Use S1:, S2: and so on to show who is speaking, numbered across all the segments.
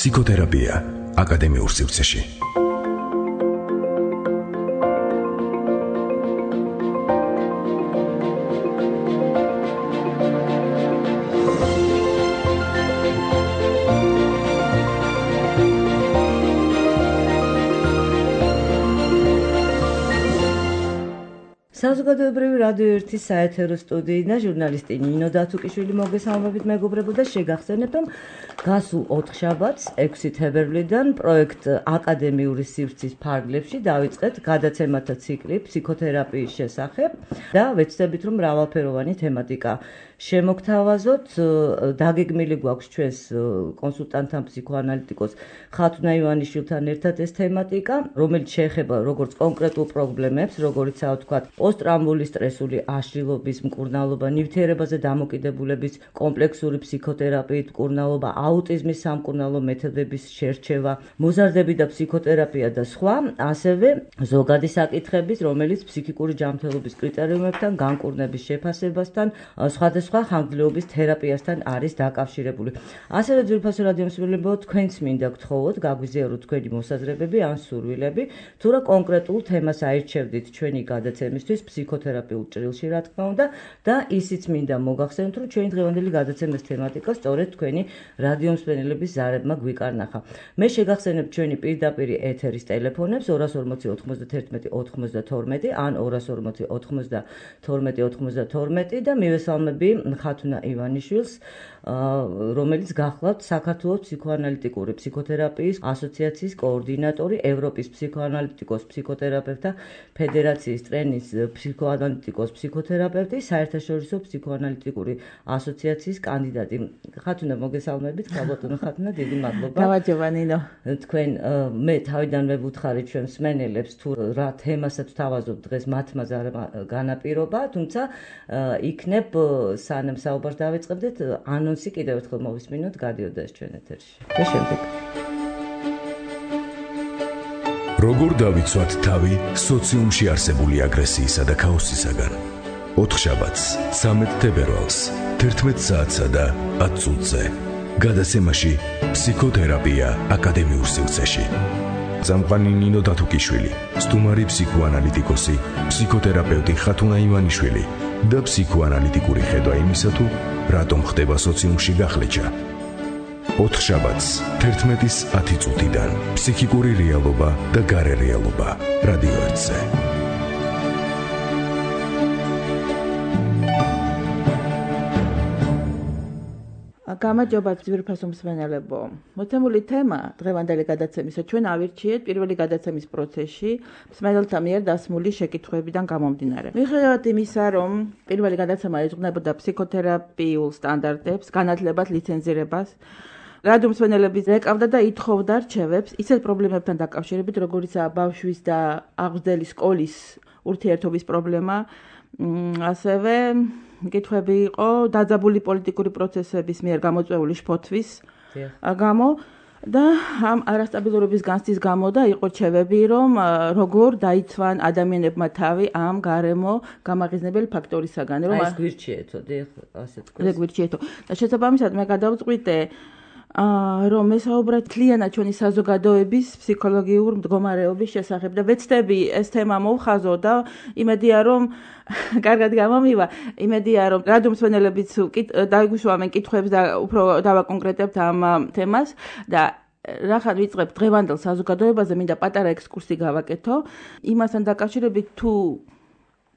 S1: ფსიქოთერაპია აკადემიურ სივრცეში.
S2: საზოგადოებრივი რადიო 1-ის საეთერო სტუდიიდან ჟურნალისტი ნინო დათუკიშვილი მოგესალმებით მეგობრებო და შეგახსენებთ, რომ გასულ 4 შაბათს 6 თებერვლიდან პროექტ აკადემიური სივრცის ფარგლებში დავიწყეთ გადაცემათა ციკლი ფსიქოთერაპიის შესახებ და ვეცდებით, რომ მრავალფეროვანი თემატიკა შემოგთავაზოთ. დაგეგმილი გვაქვს ჩვენს კონსულტანტთან ფსიქოანალიტიკოს ხათუნა ივანიშვილთან ერთად ეს თემატიკა, რომელიც შეეხება როგორც კონკრეტულ პრობლემებს, როგორიცაა თქვათ პოსტტრაუმული სტრესული აშლილობის მკურნალობა, ნივთიერებაზე დამოკიდებულების კომპლექსური ფსიქოთერაპიით მკურნალობა, აუტიზმის სამკურნალო მეთოდების შერჩევა, მოზარდები და ფსიქოთერაპია და სხვა, ასევე ზოგადი საკითხების, რომელიც ფსიქიკური ჯანმრთელობის კრიტერიუმებთან, განკურნების შეფასებასთან, სხვადასხვა ხანგრძლივობის თერაპიასთან არის დაკავშირებული. ასევე ძვირფასო რადიომსმენელებო, თქვენც მინდა გთხოვოთ, გაგვიზიაროთ თქვენი მოსაზრებები ან სურვილები, თუ რა კონკრეტულ თემას აირჩევდით ჩვენი გადაცემისთვის ფსიქოთერაპიულ ჭრილში, რა თქმა უნდა, და ისიც მინდა მოგახსენოთ, რომ ჩვენი დღევანდელი გადაცემის თემატიკა სწორედ თქვენი რადიომსმენელების ზარებმა გვიკარნახა. მე შეგახსენებ ჩვენი პირდაპირი ეთერის ტელეფონებს 240 91 92 ან 240 92 92 და მივესალმები ხათუნა ივანიშვილს, რომელიც გახლავთ საქართველოს ფსიქოანალიტიკური ფსიქოთერაპიის ასოციაციის კოორდინატორი, ევროპის ფსიქოანალიტიკოს ფსიქოთერაპევტთა ფედერაციის ტრენის ფსიქოანალიტიკოს ფსიქოთერაპევტი, საერთაშორისო ფსიქოანალიტიკური ასოციაციის კანდიდატი. ხათუნა, მოგესალმებით, ხალბატონო ხათუნა, დიდი მადლობა.
S3: გამარჯობა ნინო.
S2: თქვენ მე თავიდანვე ვუთხარი ჩვენ მსმენელებს, თუ რა თემასაც თავაზობ დღეს მათმა განაპირობა, თუმცა იქნებ სანამ საუბარს დავიწყებდეთ, ანონსი კიდევ ერთხელ მოვისმინოთ, გადიოდა ეს ჩვენ ეთერში. და შემდეგ.
S1: როგორ დავიცვათ თავი სოციუმში არსებული აგრესიისა და ქაოსისაგან? 4 შაბათს 13 თებერვალს 11 საათსა და 10 წუთზე გადაცემაში ფსიქოთერაპია აკადემიურ სივრცეში. წამყვანი ნინო დათუკიშვილი, სტუმარი ფსიქოანალიტიკოსი, ფსიქოთერაპევტი ხათუნა ივანიშვილი და ფსიქოანალიტიკური ხედვა იმისა, თუ რატომ ხდება სოციუმში გახლეჩა. 4 შაბათს 11-ის 10 წუთიდან ფსიქიკური რეალობა და გარე რეალობა რადიო 1-ზე.
S3: გამარჯობა ძვირფასო მსმენელებო. მოცემული თემა დღევანდელი გადაცემისა ჩვენ ავირჩიეთ პირველი გადაცემის პროცესში მსმენელთა მიერ დასმული შეკითხვებიდან გამომდინარე. მიუხედავად იმისა, რომ პირველი გადაცემა ეძღვნებოდა ფსიქოთერაპიულ სტანდარტებს, განათლებას, ლიცენზირებას, რადიომსმენელების ეკავდა და ითხოვდა რჩევებს ისეთ პრობლემებთან დაკავშირებით, როგორიცაა ბავშვის და აღზრდელი სკოლის ურთიერთობის პრობლემა, ასევე კითხვები იყო დაძაბული პოლიტიკური პროცესების მიერ გამოწვეული შფოთვის გამო და ამ არასტაბილურობის განცდის გამო და იყო რჩევები, რომ როგორ დაიცვან ადამიანებმა თავი ამ გარემო გამაღიზნებელი ფაქტორისაგან,
S2: რომ ეს გვირჩიეთო, ასეთ
S3: ეს გვირჩიეთო. და შესაბამისად მე გადავწყვიტე რომ მესაუბრად თლიანად ჩვენი საზოგადოების ფსიქოლოგიურ მდგომარეობის შესახებ და ვეცდები ეს თემა მოვხაზო და იმედია რომ კარგად გამომივა, იმედია რომ რადიომსმენელებიც დაგვიშვამენ კითხვებს და უფრო დავაკონკრეტებთ ამ თემას და რახან ვიწყებთ დღევანდელ საზოგადოებაზე, მინდა პატარა ექსკურსი გავაკეთო იმასთან დაკავშირებით, თუ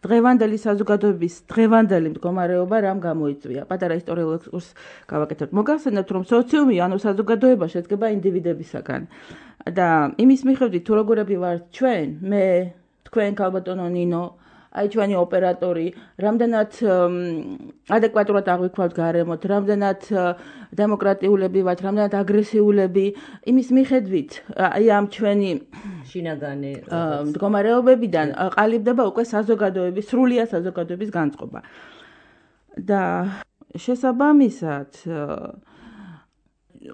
S3: დღევანდელი საზოგადოების დღევანდელი მდგომარეობა რამ გამოიწვია. პატარა ისტორიულ ექსკურსს გავაკეთოთ. მოგახსენებთ, რომ სოციუმი, ანუ საზოგადოება შედგება ინდივიდებისაგან და იმის მიხედვით, თუ როგორები ვართ ჩვენ, მე, თქვენ, ხალბატონო ნინო, აი ჩვენი ოპერატორი, რამდენად ადეკვატურად აღვიქვათ გარემოთ, რამდენად დემოკრატიულები ვართ, რამდენად აგრესიულები, იმის მიხედვით, აი ამ ჩვენი
S2: შინაგანი
S3: მდგომარეობებიდან ყალიბდება უკვე საზოგადოების, სრულიად საზოგადოების განწყობა. და შესაბამისად,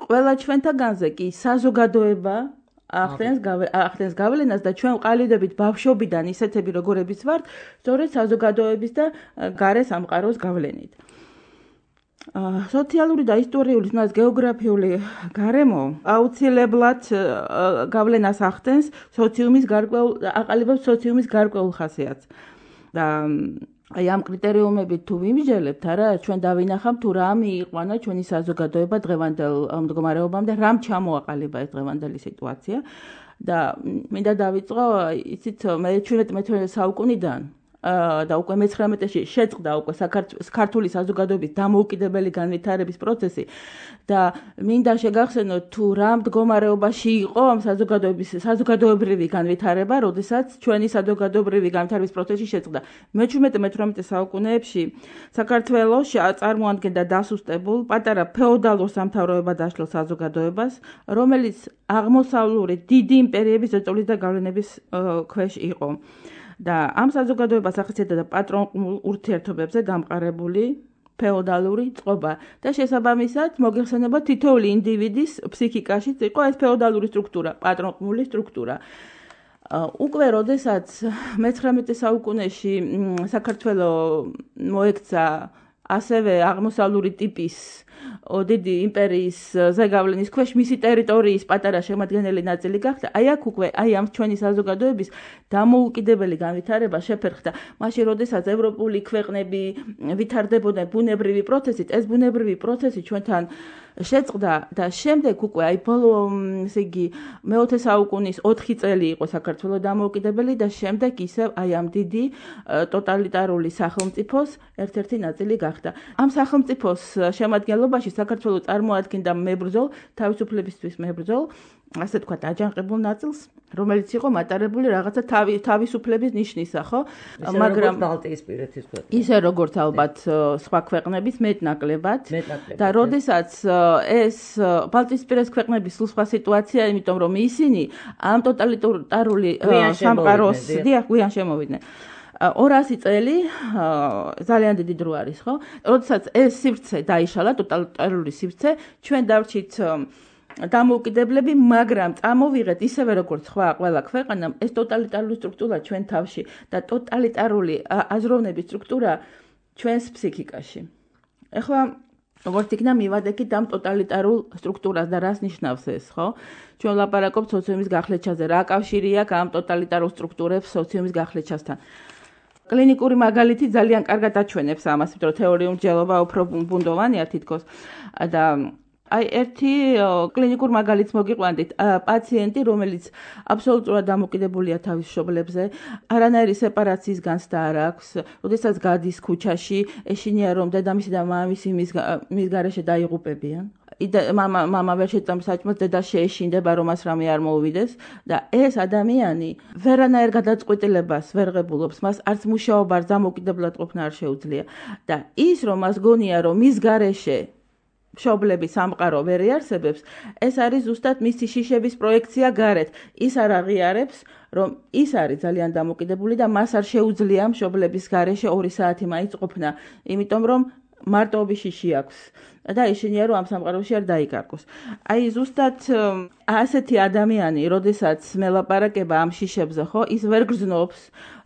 S3: ყველა ჩვენთაგანზე კი საზოგადოება ახდენს გავლენას და ჩვენ ყალიბდებით ბავშვობიდან ისეთები როგორებიც ვართ, სწორედ საზოგადოების და გარე სამყაროს გავლენით. სოციალური და ისტორიული, თუნდაც გეოგრაფიული გარემო აუცილებლად გავლენას ახდენს სოციუმის გარკვეულ აყალიბებს სოციუმის გარკვეულ ხასიათს. და აი ამ კრიტერიუმებით თუ ვიმსჯელებთ, არა, ჩვენ დავინახავთ თუ რა მიიყვანა ჩვენი საზოგადოება დღევანდელ მდგომარეობამდე, რამ ჩამოაყალიბა ეს დღევანდელი სიტუაცია და მინდა დავიწყო, იცით, მე 17-18 საუკუნიდან და უკვე მე-19-ში შეწყდა უკვე ქართული საზოგადოების დამოუკიდებელი განვითარების პროცესი და მინდა შეგახსენოთ თუ რა მდგომარეობაში იყო ამ საზოგადოებრივი განვითარება, როდესაც ჩვენი საზოგადოებრივი განვითარების პროცესი შეწყდა. მე-17-18 საუკუნეებში საქართველოს წარმოადგენდა დასუსტებულ პატარა ფეოდალურ სამთავროებად დაშლილ საზოგადოებას, რომელიც აღმოსავლური დიდი იმპერიების ზეწოლის და გავლენების ქვეშ იყო. და ამ საზოგადოებას ახასიათებდა პატრონულ ურთიერთობებზე გამყარებული ფეოდალური წყობა და შესაბამისად მოგეხსენება თითოეული ინდივიდის ფსიქიკაშიც იყო ეს ფეოდალური სტრუქტურა, პატრონული სტრუქტურა. უკვე როდესაც მე-19 საუკუნეში საქართველოს მოექცა ასევე აღმოსავლური ტიპის დიდი იმპერიის ზეგავლენის ქვეშ მისი ტერიტორიის პატარა შემადგენელი ნაწილი გახდა. აი აქ უკვე ამ ჩვენი საზოგადოების დამოუკიდებელი განვითარება შეფერხდა. მაშინ როდესაც ევროპული ქვეყნები ვითარდებოდნენ ბუნებრივი პროცესით, ეს ბუნებრივი პროცესი ჩვენთან შეწყდა და შემდეგ უკვე აი ბოლო ესე იგი მე-20 საუკუნის 4 წელი იყო საქართველოს დამოუკიდებელი და შემდეგ ისევ აი ამ დიდი ტოტალიტარული სახელმწიფოს ერთ-ერთი ნაწილი გახდა. ამ სახელმწიფოს შემადგენლობაში საქართველოს წარმოადგენდა მებრძოლ, თავისუფლებისთვის მებრძოლ, ასე თქვათ, აჯანყებულ ნაწილს, რომელიც იყო მატარებული რაღაცა თავისუფლების ნიშნისა, ხო?
S2: მაგრამ ბალტიისპირეთის ქვეყნები.
S3: ისე როგორც ალბათ სხვა ქვეყნების მეტნაკლებად. და როდესაც ეს ბალტიისპირეთის ქვეყნების სხვა სიტუაცია, იმიტომ რომ ისინი ამ ტოტალიტარული სამყაროს გვიან შემოვიდნენ. 200 წელი ძალიან დიდი დრო არის, ხო? როდესაც ეს სივრცე დაიშალა, ტოტალიტარული სივრცე, ჩვენ დავრჩით დამოუკიდებლები, მაგრამ წამოვიღეთ ისევე როგორც სხვა ყველა ქვეყანამ ეს ტოტალიტარული სტრუქტურა ჩვენ თავში და ტოტალიტარული აზროვნების სტრუქტურა ჩვენს ფსიქიკაში. ეხლა როგორც იქნა მივადექით ამ ტოტალიტარულ სტრუქტურას და რას ნიშნავს ეს, ხო? ჩვენ ვლაპარაკობთ სოციუმის გახლეჩაზე, რა კავშირი აქვს ამ ტოტალიტარულ სტრუქტურებს სოციუმის გახლეჩასთან. კლინიკური მაგალითი ძალიან კარგად აჩვენებს ამას, იმიტომ რომ თეორიული მსჯელობა უფრო ბუნდოვანია თითქოს და აი ერთი კლინიკურ მაგალითს მოგიყვანდით, პაციენტი, რომელიც აბსოლუტურად დამოკიდებულია თავის მშობლებზე, არანაირი სეპარაციის განცდა არ აქვს, როდესაც გადის ქუჩაში, ეშინია რომ დედამისი და მამამისი მის გარეშე დაიღუპებიან. მამა ვერ შეწამს საჭმელს, დედა შეეშინდება, რომ მას რამე არ მოუვიდეს და ეს ადამიანი ვერანაირ გადაწყვეტილებას ვერ ღებულობს, მას არც მუშაობა, არც დამოუკიდებლად ყოფნა არ შეუძლია და ის რომ მას გონია, რომ მის გარეშე მშობლების სამყარო ვერ იარსებებს, ეს არის ზუსტად მისი შიშების პროექცია გარეთ. ის არ აღიარებს, რომ ის არის ძალიან დამოკიდებული და მას არ შეუძლია მშობლების გარეშე 2 საათი მაინც ყოფნა, იმიტომ რომ მარტოობის შიში აქვს და ეშინია რომ ამ სამყაროში არ დაიკარგოს. აი ზუსტად ასეთი ადამიანი, როდესაც მელაპარაკება ამ შიშებზე, ხო, ის ვერ გრძნობს,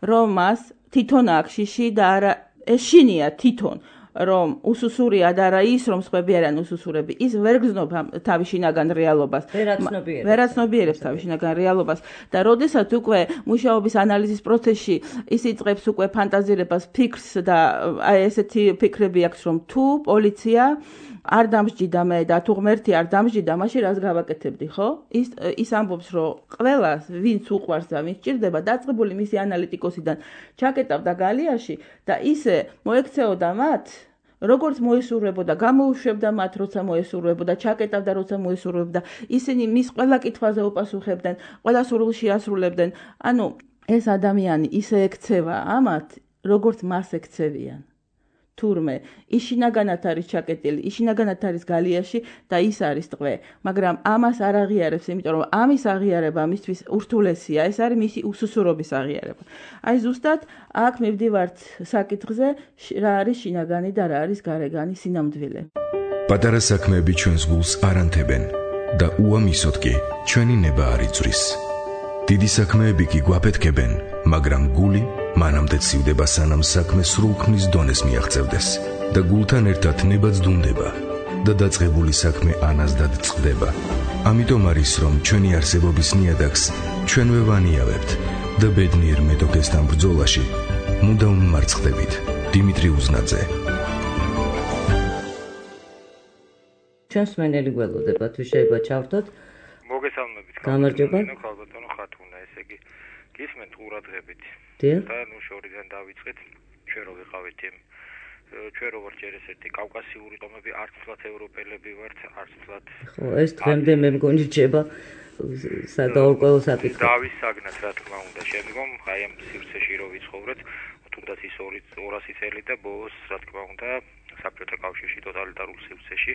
S3: რომ მას თვითონ აქვს შიში და არა ეშინია თვითონ რომ უსუსურია და არა ის რომ სხვები არიან უსუსურები. ის ვერ გრძნობს თავის შინაგან რეალობას. ვერაცნობიერებს თავის შინაგან რეალობას და როდესაც უკვე მუშაობის ანალიზის პროცესში ის იწყებს უკვე ფანტაზირებას, ფიქრს და აი ესეთი ფიქრები აქვს რომ თუ პოლიცია არ დამსჯიდა მე და თუ ღმერთი არ დამსჯიდა, მაშინ რას გავაკეთებდი, ხო? ის ამბობს, რომ ყველას, ვინც უყვარს და ვინც ჭირდება, დაწყებული მისი ანალიტიკოსიდან ჩაკეტავდა გალიაში და ისე მოექცეოდა მათ, როგორც მოესურვებოდა, გამოუშვებდა მათ, როცა მოესურვებოდა, ჩაკეტავდა, როცა მოესურვებდა. ისინი მის ყველა კითხვაზე უპასუხებდნენ, ყველა სურვილში ასრულებდნენ. ანუ ეს ადამიანი ისე ექცევა ამათ, როგორც მას ექცევიან. თურმე იშინაგანად არის ჩაკეტილი, იშინაგანად არის გალიაში და ის არის ტყვე, მაგრამ ამას არ აღიარებს, იმიტომ რომ ამის აღიარება მისთვის ურთულესია, ეს არის მისი უსუსურობის აღიარება. აი ზუსტად აქ მივდივართ საკითხზე, რა არის შინაგანი და რა არის გარეგანი სინამდვილე.
S1: პატარა საქმეები ჩვენს გულს არ ანთებენ და უამისოდ კი ჩვენი ნება არ იწვრის. დიდი საქმეები კი გვაფეთქებენ, მაგრამ გული მანამდე ცივდება, სანამ საქმე სრულქმნის დონეს მიაღწევდეს. და გულთან ერთად ნებაც დუნდება და დაწყებული საქმე ანაზდად წყდება. ამიტომ არის რომ ჩვენი არსებობის ნიადაგს ჩვენვე ვანიავებთ და ბედნიერ მეტოქესთან ბრძოლაში მუდამ მარცხდებით. დიმიტრი უზნაძე.
S2: ჩვენს მენელი გველოდება თუ შეიძლება ჩავთოთ.
S4: მოგესალმებით.
S2: გამარჯობა.
S4: ხალბატონო ხათუნა, ესე იგი გისმენთ ყურადღებით.
S2: და
S4: ნუ შორიდან დავიწყეთ. ჩვენ რო ვიყავით იმ ჩვენ რო ვართ ერთ-ერთი კავკასიური ტომები, არც ფლათ ევროპელები ვართ, არც ფლათ.
S2: ხო, ეს დღემდე მე მგონი რჩება საკაუკვეო საკითხი.
S4: დავისაგნათ, რა თქმა უნდა, შემდგომ აი ამ სივრცეში რო ვიცხოვრეთ, თუნდაც ის 200 წელი და ბოლოს, რა თქმა უნდა, საბჭოთა კავშირში ტოტალიტარულ სივრცეში,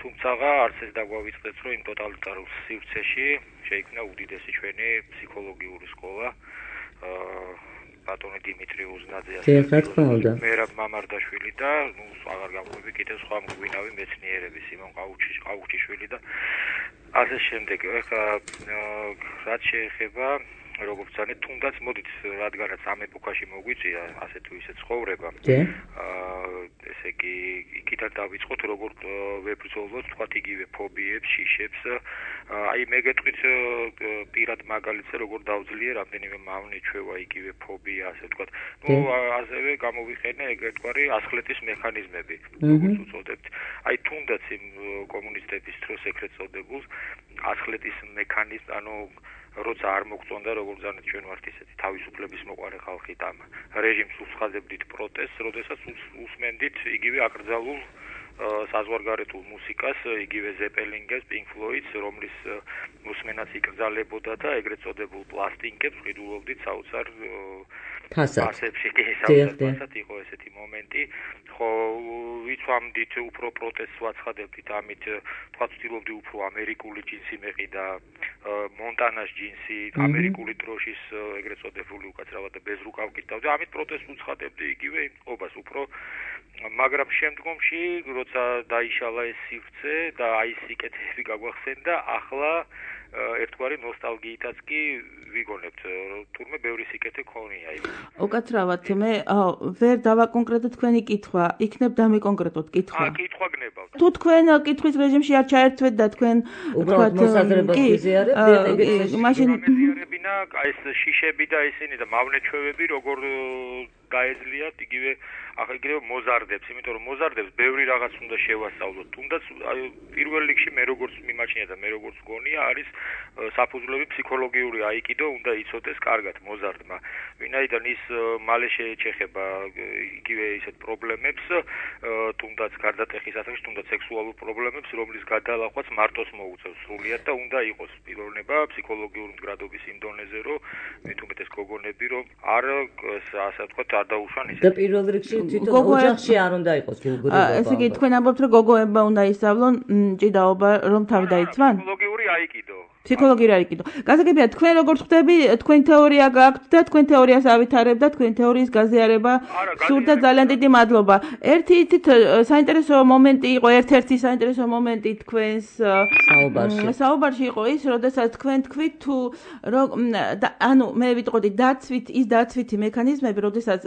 S4: თუმცა არც ეს დაგვავიწყდეთ, რომ იმ ტოტალიტარულ სივრცეში შეიქმნა უდიდესი ჩვენი ფსიქოლოგიური სკოლა. ბატონი დიმიტრი უზნაძე მერაბ მამარდაშვილი და ნუ აღარ გამოვები კიდევ სხვა მგვინავი მეცნიერები სიმონ ყაუჩიშვილი და ასე შემდეგ. რაც შეეხება როგორც ძალიან თუნდაც მოდით რადგანაც ამ ეპოქაში მოგვიწია ასე თუ ისე ცხოვრება. ესე იგი იქიდან დავიწყოთ როგორ ვებრძოლოთ თქვათ იგივე ფობიებს, შიშებს. აი მე გეტყვით პირად მაგალითზე როგორ დავძლიე რამდენიმე მავნე ჩვევა იგივე ფობია ასე თქვათ. ნუ ასევე გამოვიხენე ეგრეთგვარი ასხლეტის მექანიზმები როგორც უწოდებთ. აი თუნდაც იმ კომუნისტების დროს ეგრეთ წოდებულ ასხლეტის მექანიზმ ანუ როცა არ მოგწონდა როგორც ძალიან ჩვენ ვართ ისეთი თავისუფლების მოყარე ხალხი და რეჟიმს უსხადებდით პროტესტს, როდესაც უსმენდით იგივე აკრძალულ საზღვარგარეთულ მუსიკას, იგივე ზეპელინგებს, Pink Floyd-ს, რომლის მოსმენაც იკრძალებოდა და ეგრეთ წოდებულ პლასტინკებს ვყიდულობდით საოცარ ფასებში, საოცარ იყო ესეთი მომენტი. ხო, ვიცვამდით უფრო პროტესტს ვაცხადებდით, ამით თქვა ვცდილობდი უფრო ამერიკული ჯინსი მეყიდა, მონტანას ჯინსი, ამერიკული დროშის ეგრეთ წოდებული უკაცრავად და bez რუკავ კიდავდი, ამით პროტესტს უცხადებდი იგივე იმყოფას უფრო. მაგრამ შემდგომში, როცა დაიშალა ეს სივრცე და აი სიკეთეები გაგვახსენდა, ახლა ერთგვარი ნოსტალგიითაც კი ვიგონებთ, თურმე ბევრი სიკეთე ქონია იქ.
S3: უკაცრავად მე ვერ დავაკონკრეტო თქვენი კითხვა, იქნებ დამიკონკრეტოთ კითხვა.
S4: კითხვა გნებავთ.
S3: თუ თქვენ კითხვის რეჟიმში არ ჩაერთვეთ და თქვენ
S2: უბრალოდ მოსაზრებას ვიზიარებთ,
S3: მაშინ
S4: მეზიარებინა ეს შიშები და ისინი და მავნეჩვევები როგორ გაეძლიათ იგივე ახლა იგივე მოზარდებს, იმიტომ რომ მოზარდებს ბევრი რაღაც უნდა შევასწავლოთ. თუნდაც პირველ რიგში მე როგორც მიმაჩნია და მე როგორც გონია არის საფუძვლები ფსიქოლოგიური აიკიდო უნდა იცოდეს კარგად მოზარდმა. ვინაიდან ის მალე შეეჩეხება იგივე ისეთ პრობლემებს, თუნდაც გარდატეხის ასაკში, თუნდაც სექსუალურ პრობლემებს, რომლის გადალახვაც მარტოს მოუწევს სრულიად და უნდა იყოს პიროვნება ფსიქოლოგიური მდგრადობის იმ დონეზე, რომ მით უმეტეს გოგონები რომ არ ასე ვთქვათ არ დაუშვან ისე.
S2: და პირველ რიგში თვითონ ოჯახში არ უნდა იყოს გულგრილობა.
S3: ესე იგი თქვენ ამბობთ რომ გოგოებმა უნდა ისწავლონ ჭიდაობა რომ თავი დაიცვან?
S4: ფსიქოლოგიური აიკიდო.
S3: ფსიქოლოგიური აიკიდო. გასაგებია თქვენ როგორც ხვდები, თქვენ თეორია გაქვთ და თქვენ თეორიას ავითარებთ და თქვენ თეორიის გაზიარება სურდა ძალიან დიდი მადლობა. ერთი იცით საინტერესო მომენტი იყო, ერთ-ერთი საინტერესო მომენტი თქვენს საუბარში იყო ის, როდესაც თქვენ თქვით თუ ანუ მე ვიტყოდი დაცვითი მექანიზმები, როდესაც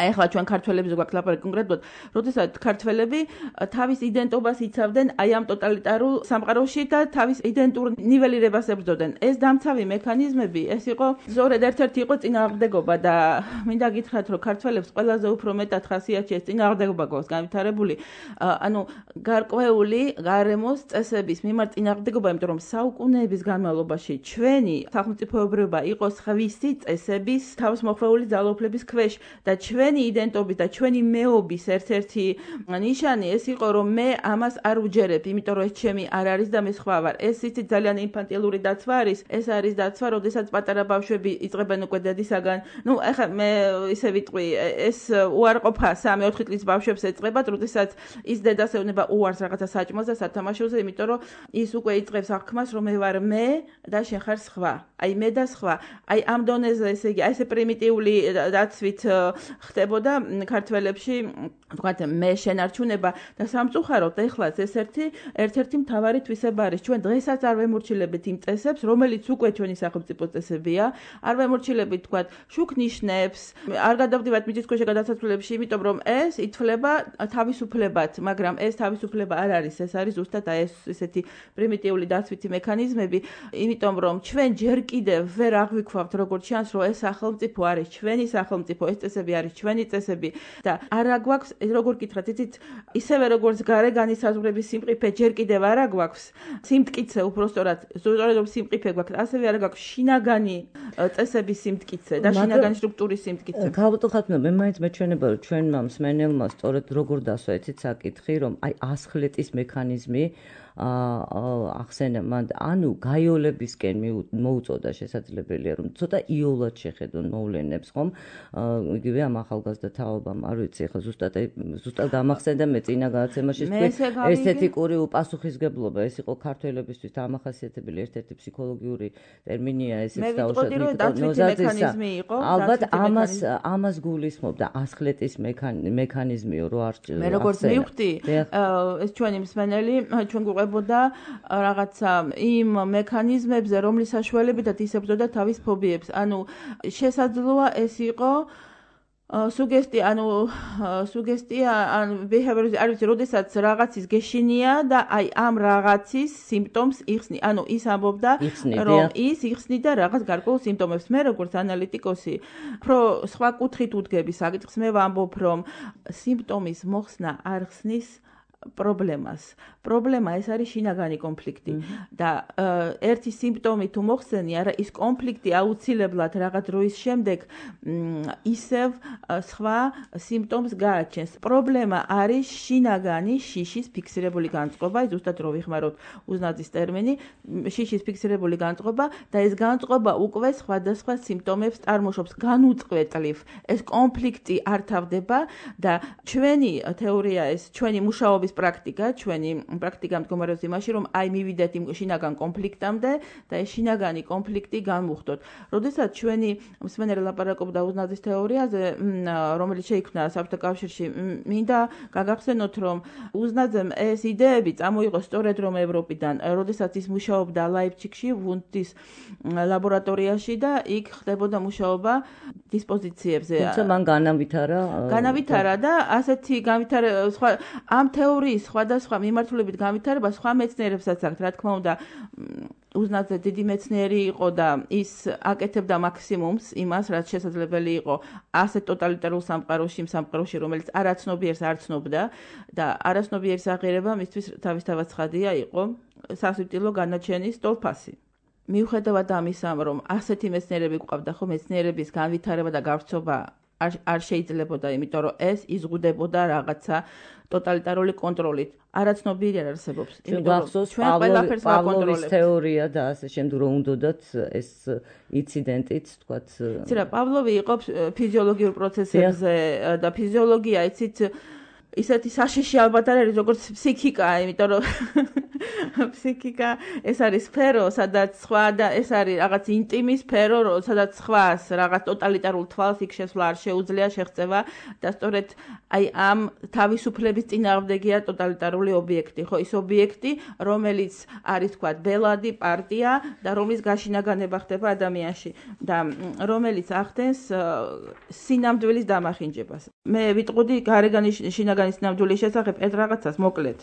S3: აი ახლა ჩვენ ქართველებს გვაქვს ლაპარაკი კონკრეტულად, როდესაც ქართველები თავის იდენტობას იცავდნენ აი ამ ტოტალიტარულ სამყაროში და თავის იდენტურ ნიველირებას ებრძოდნენ. ეს დამცავი მექანიზმები, ეს იყო ზორედ ერთ-ერთი იყო წინააღმდეგობა და მინდა გითხრათ, რომ ქართველებს ყველაზე უფრო მეტად ხასიათში ეს წინააღმდეგობა გვაქვს განვითარებული, ანუ გარკვეული გარემოს წესების მიმართ წინააღმდეგობა, იმიტომ რომ საუკუნეების განმავლობაში ჩვენი სახელმწიფოებრიობა იყო სხვისი წესების თავისმოხრეული ძალაუფლების ქვეშ და ჩვენი იდენტობის და ჩვენი მეობის ერთ-ერთი ნიშანი ეს იყო, რომ მე ამას არ უჯერებ, იმიტომ რომ ეს ჩემი არ არის და მე სხვა ვარ. ეს იცით ძალიან ინფანტილური დაცვა არის, ეს არის დაცვა, როდესაც პატარა ბავშვები იწყებენ უკვე დედისაგან. ნუ ეხლა მე ისე ვიტყვი, ეს უარყოფა 3-4 წლის ბავშვებს ეწყებათ, როდესაც ის დედას ეუბნება უარს რაღაცა საჭმელს და სათამაშოზე, იმიტომ რომ ის უკვე იწყებს აღქმას, რომ მე ვარ მე და შენ ხარ სხვა. აი მე და სხვა. აი ამ დონეზე ესე იგი, აი ესე პრიმიტიული დაცვით ხდებოდა ქართველებში, თქვათ მე შენარჩუნება და სამწუხაროდ ეხლაც ეს ერთ-ერთი მთავარი თვისება არის. ჩვენ დღესაც არ ვემორჩილებთ იმ წესებს, რომელიც უკვე ჩვენი სახელმწიფო წესებია, არ ვემორჩილებით თქვა შუქ ნიშნებს, არ გადავდივართ მიწისქვეშა გადასაცვლელებში, იმიტომ რომ ეს ითვლება თავისუფლებად, მაგრამ ეს თავისუფლება არ არის, ეს არის ზუსტად ეს ესეთი პრიმიტიული დასვითი მექანიზმები, იმიტომ რომ ჩვენ ჯერ კიდევ ვერ აღვიქვავთ როგორც ჩანს, რომ ეს სახელმწიფო არის ჩვენი სახელმწიფო, ეს წესები არის ჩვენი წესები და არა გვაქვს, როგორ გითხრათ, იცით, ისევე როგორც გარე განისაზღვრების სიმყიფე ჯერ კიდევ არა გვაქვს, სიმტკიცე უბრალოდ სწორედ სიმყიფე გვაქვს, ასევე არა გვაქვს შინაგანი წესების სიმტკიცე და შინაგანი სტრუქტურის სიმტკიცე.
S2: ქალბატონო, მე მაინც მეჩვენება რომ ჩვენმა მსმენელმა სწორედ როგორ დასვა იცით საკითხი, რომ აი ასხლეტის მექანიზმი ახსენა მან ანუ გაიოლებისკენ მოუწოდა შესაძლებელია რომ ცოტა იოლად შეხედონ მოვლენებს ხომ იგივე ამ ახალგაზრდა თაობამ არ ვიცი ხა ზუსტად გამახსენდა მე წინა გადაცემაში ესთეტიკური უპასუხისგებლობა ეს იყო ქართველებისთვის დამახასიათებელი ერთ-ერთი ფსიქოლოგიური ტერმინია ესეც
S3: დაუშვათ
S2: ალბათ ამას გულისხმობდა ასხლეტის მექანიზმიო რო არ
S3: მე როგორც მივხვდი ეს ჩვენი მსმენელი ჩვენ გვყვებოდა რაღაცა იმ მექანიზმებზე რომლის საშუალებითაც ისებრძოდა თავის ფობიებს ანუ შესაძლოა ეს იყო სუგესტია ან behavior არ ვიცი როდესაც რაღაცის გეშინია და აი ამ რაღაცის სიმპტომს იხსნი ანუ ის ამბობდა რომ ის იხსნიდა რაღაც გარკვეულ სიმპტომებს მე როგორც ანალიტიკოსი უფრო სხვა კუთხით უდგები საკითხს მე ვამბობ რომ სიმპტომის მოხსნა არ ხსნის პრობლემა ეს არის შინაგანი კონფლიქტი და ერთი სიმპტომი თუ მოხსენი არა ის კონფლიქტი აუცილებლად რაღაც დროის შემდეგ ისევ სხვა სიმპტომს გააჩენს პრობლემა არის შინაგანი შიშის ფიქსირებული განწყობა ზუსტად რო ვიხმაროთ უზნაძის ტერმინი შიშის ფიქსირებული განწყობა და ეს განწყობა უკვე სხვადასხვა სიმპტომებს წარმოშობს განუწყვეტლივ ეს კონფლიქტი არ თავდება და ჩვენი თეორია ეს ჩვენი მუშაობის პრაქტიკა, ჩვენი პრაქტიკა მდგომარეობს იმაში, რომ აი მივიდეთ იმ შინაგან კონფლიქტამდე და ეს შინაგანი კონფლიქტი განვუხდოთ. როდესაც ჩვენი მსმენელი ლაპარაკობდა უზნაძის თეორიაზე, რომელიც შეიქმნა საბჭოთა კავშირში, მინდა გაგახსენოთ, რომ უზნაძემ ეს იდეები წამოიღო სწორედ რომ ევროპიდან, როდესაც ის მუშაობდა ლაიფციგში, ვუნდის ლაბორატორიაში და იქ ხდებოდა მუშაობა დისპოზიციებზე.
S2: თუმცა მან
S3: განავითარა და ასეთი განვითარება სხვა ამ თეორიის სხვადასხვა მიმართულებით განვითარება სხვა მეცნიერებსაც აქვს, რა თქმა უნდა, უზნაძე დიდი მეცნიერი იყო და ის აკეთებდა მაქსიმუმს იმას, რაც შესაძლებელი იყო ასეთ ტოტალიტარულ სამყაროში, რომელიც არაცნობიერს არ ცნობდა და არაცნობიერის აღიარება მისთვის თავისთავად ცხადია იყო სასვიტილო განაჩენის სტოლფასი. მიუხედავად ამისა, რომ ასეთი მეცნიერები გვყავდა, ხო მეცნიერების განვითარება და გავრცობა არ შეიძლებოდა, იმიტომ რომ ეს იზღუდებოდა რაღაცა ტოტალიტარული კონტროლით. არაცნობიერი არ არსებობს.
S2: იმიტომ რომ ჩვენ ყველაფერს ვაკონტროლებთ. თეორია და ასე შემდეგ რომ უნდათ ეს ინციდენტიც, თქვათ.
S3: ცირა პავლოვი იყო ფიზიოლოგიურ პროცესებზე და ფიზიოლოგია, იცით, ისეთი საშიში ალბათ არ არის როგორც ფსიქიკა, იმიტომ რომ ფსიქიკა ეს არის სფერო, სადაც სხვა და ეს არის რაღაც ინტიმი სფერო, სადაც სხვას რაღაც ტოტალიტარულ თვალს იქ შესვლა არ შეუძლია შეღწევა და სწორედ აი ამ თავისუფლების წინააღმდეგია ტოტალიტარული ობიექტი, ხო, ის ობიექტი, რომელიც არის თქვა ბელადი პარტია და რომლის გაშინაგანება ხდება ადამიანში და რომელიც ახდენს სინამდვილის დამახინჯებას. მე ვიტყოდი გარეგანი შინაგანი სინამდვილის შესახებ ეს რაღაცას მოკლედ.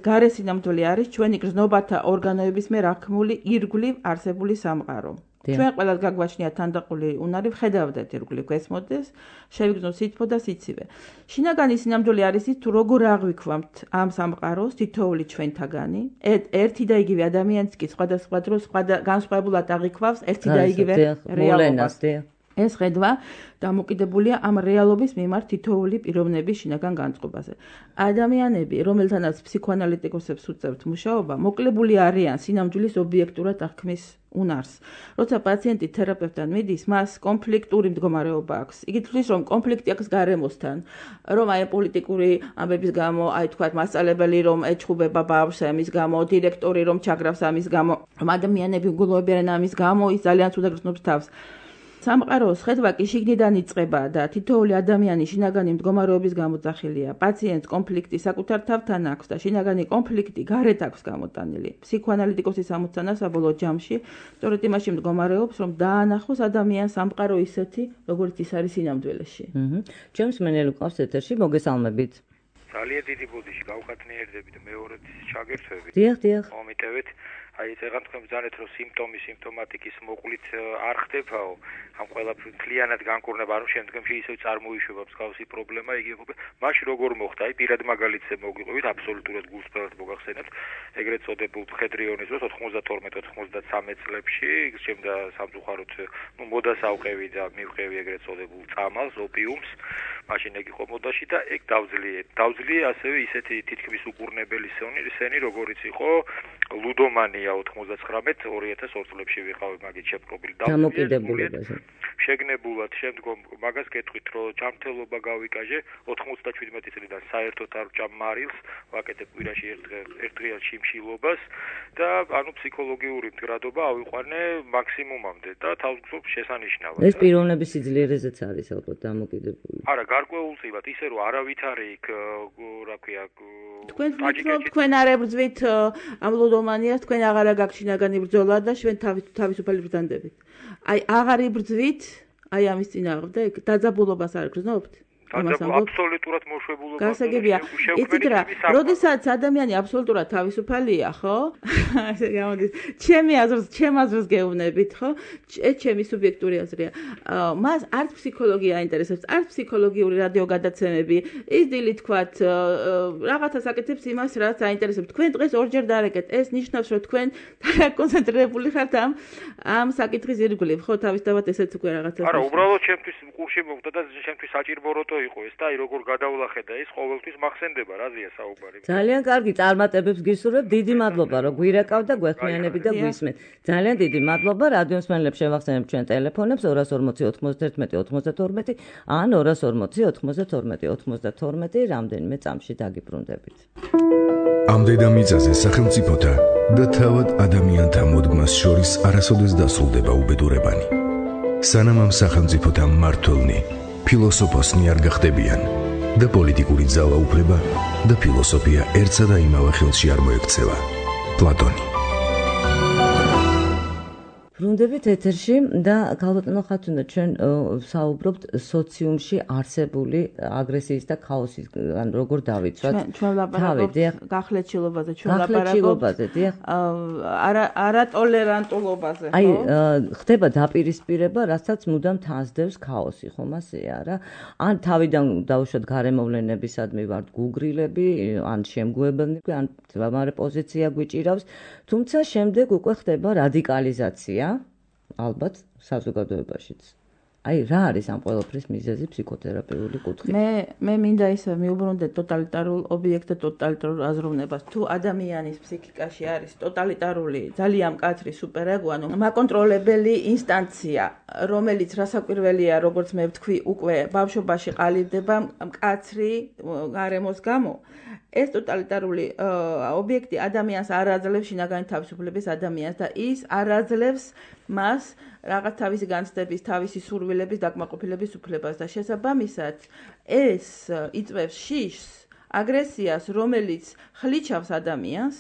S3: გარე სინამდვილე არის ჩვენი გრძნობათა ორგანოების მიერ აღქმული ირგვლივ არსებული სამყარო. ჩვენ ყველას გაგვაჩნია თანდაყოლი უნარი, ვხედავდეთ ირგვლივ გესმოდეს, შევიგრძნოთ სითბო და სიცივე. შინაგანი სინამდვილე არის ის, თუ როგორ აღვიქვამთ ამ სამყაროს თითოეული ჩვენთაგანი, ერთი და იგივე ადამიანიც კი სხვადასხვა დროს განსხვავებულად აღიქვავს ერთი და იგივე რეალობას. ეს ხედვა დამოკიდებულია ამ რეალობის მიმართ თითოეული პიროვნების შინაგან განწყობაზე. ადამიანები, რომელთანაც ფსიქოანალიტიკოსებს უწევთ მუშაობა, მოკლებული არიან სინამდვილის ობიექტურად აღქმის უნარს. როცა პაციენტი თერაპევტთან მიდის, მას კონფლიქტური მდგომარეობა აქვს. იგი თვლის, რომ კონფლიქტი აქვს გარემოსთან, რომ აი პოლიტიკური ამბების გამო, აი თქვათ მასწავლებელი რომ ეჩხუბება ბავშვს ამის გამო, დირექტორი რომ ჩაგრავს ამის გამო, რომ ადამიანები გულოებიან ამის გამო, ის ძალიან ცუდად გრძნობს თავს. სამყაროს ხედვა კი შიგნიდან იწყება და თითოეული ადამიანის შინაგანი მდგომარეობის გამოძახილია. პაციენტს კონფლიქტი საკუთარ თავთან აქვს და შინაგანი კონფლიქტი გარეთ აქვს გამოტანილი. ფსიქოანალიტიკოსის ამოცანა საბოლოო ჯამში სწორედ იმაში მდგომარეობს, რომ დაანახოს ადამიანს სამყარო ისეთი, როგორც ის არის სინამდვილეში.
S2: ჩემს მენელი ყავს ეთერში, მოგესალმებით.
S4: ძალიან დიდი ბოდიში გავხატნიერდებით მეორედ ჩაგერთვებით.
S2: დიახ.
S4: მომიტევით. აი წეგან თქვენ ბრძანეთ რომ სიმპტომატიკის მოყვლით არ ხდებაო ამ ყველაფერს მთლიანად განკურნება რომ შემდგომში ისევ წარმოიშვება მსგავსი პრობლემა იგი მაშინ როგორ მოხდა აი პირად მაგალითზე მოგვიყვებით აბსოლუტურად გულწრფელად მოგახსენებთ ეგრეთ წოდებულ მხედრიონის დროს 92-93 წლებში შემდა სამწუხაროდ მოდას ავყევი და მივყევი ეგრეთ წოდებულ წამალს ოპიუმს მაშინ ეგ იყო მოდაში და ეგ დავძლიე ასევე ისეთი თითქმის უკურნებელი სენი როგორიც იყო ლუდომანია 99-2002 წლებში ვიყავი მაგით შეპყრობილი
S2: დამოკიდებულებაზე
S4: შეგნებულად შემდგომ მაგას გეტყვით რომ ჯანმრთელობა გავიკაჟე 97 წლიდან საერთოდ არ ვჭამ მარილს ვაკეთებ კვირაში ერთდღიურ შიმშილობას და ანუ ფსიქოლოგიური მდგრადობა ავიყვანე მაქსიმუმამდე და თავისუფლად შესანიშნავად
S2: ეს პიროვნების სიძლიერეზეც არის ალბათ დამოკიდებული
S4: არა გარკვეულწილად ისე რომ არავითარი იქ რა ქვია
S3: თქვენ არ ებრძვით ამ ლუდომანიას თქვენ აღარ გაქვთ შინაგანი ბრძოლა და ჩვენ თავისუფალი ბრძანდებით აი აღარ იბრძვით აი ამის წინააღმდეგ დაძაბულობას არ გრძნობთ
S4: აბსოლუტურად მოშვებულობა
S3: გასაგებია იცით რა როდესაც ადამიანი აბსოლუტურად თავისუფალია ხო ასე გამოდის ჩემ აზრს გეუბნებით ხო ჩემი სუბიექტური აზრია მას არც ფსიქოლოგია აინტერესებს არც ფსიქოლოგიური რადიოგადაცემები ის დილით თქვათ რაღაცას აკეთებს იმას რაც აინტერესებს თქვენ დღეს ორჯერ დაარეკეთ ეს ნიშნავს რომ თქვენ კონცენტრირებული ხართ ამ საკითხის ირგვლივ ხო თავისთავად ესეც უკვე რაღაცას
S4: არა უბრალოდ ჩემთვის კურსში მოხდა და ჩემთვის საჭიროა იყო ეს და აი როგორ გადავლახედა ის ყოველთვის მახსენდება რაზეა საუბარი
S2: ძალიან კარგი წარმატებებს გისურვებ დიდი მადლობა რომ გვირეკავ და გვეხმიანები და გვისმენთ ძალიან დიდი მადლობა რადიოს მსმენელებს შევახსენებ ჩვენ ტელეფონებს 240 91 92 ან 240 92 92 რამდენიმე წამში დაგიბრუნდებით
S1: ამ დედამიწაზე სახელმწიფოთა და თავად ადამიანთა მოდგმას შორის არასოდეს დასრულდება უბედურებანი სანამ ამ სახელმწიფოთა მმართველნი ფილოსოფოსნი არ გახდებიან და პოლიტიკური ძალაუფლება და ფილოსოფია ერთსა და იმავე ხელში არ მოექცევა. პლატონი.
S2: ბრუნდებით ეთერში და ქალბატონო ხათუნა ჩვენ საუბრობთ სოციუმში არსებული აგრესიის და ქაოსის ან როგორ დავიცვათ
S3: ჩვენ ლაპარაკობთ გახლეჩილობაზე ჩვენ ლაპარაკობთ არატოლერანტულობაზე ხო
S2: აი ხდება დაპირისპირება რასაც მუდამ თანსდევს ქაოსი ხომ ასეა რა ან თავიდან დავუშვათ გარემოვლენებისადმი ვართ გუგრილები ან შემგუებელნი ან თვამარე პოზიცია გვიჭირავს თუმცა შემდეგ უკვე ხდება რადიკალიზაცია ალბათ საზოგადოებაშიც. აი რა არის ამ ყველაფრის მიზეზი ფსიქოთერაპიული კუთხით?
S3: მე მინდა ისე მიუბრუნდეთ ტოტალიტარულ ობიექტ და ტოტალიტარულ აზროვნებას. თუ ადამიანის ფსიქიკაში არის ტოტალიტარული, ძალიან მკაცრი სუპერეგო, ანუ მაკონტროლებელი ინსტანცია, რომელიც რასაკვირველია, როგორც მე ვთქვი, უკვე ბავშვობაში ყალიბდება მკაცრი გარემოს გამო. ეს ტოტალიტარული ობიექტი ადამიანს არ აძლევს შინაგანი თავისუფლების ადამიანს და ის არ აძლევს მას რაღაც თავისი განცდების, თავისი სურვილების დაკმაყოფილების უფლებას და შესაბამისად ეს იწვევს შიშს, აგრესიას, რომელიც ხლიჩავს ადამიანს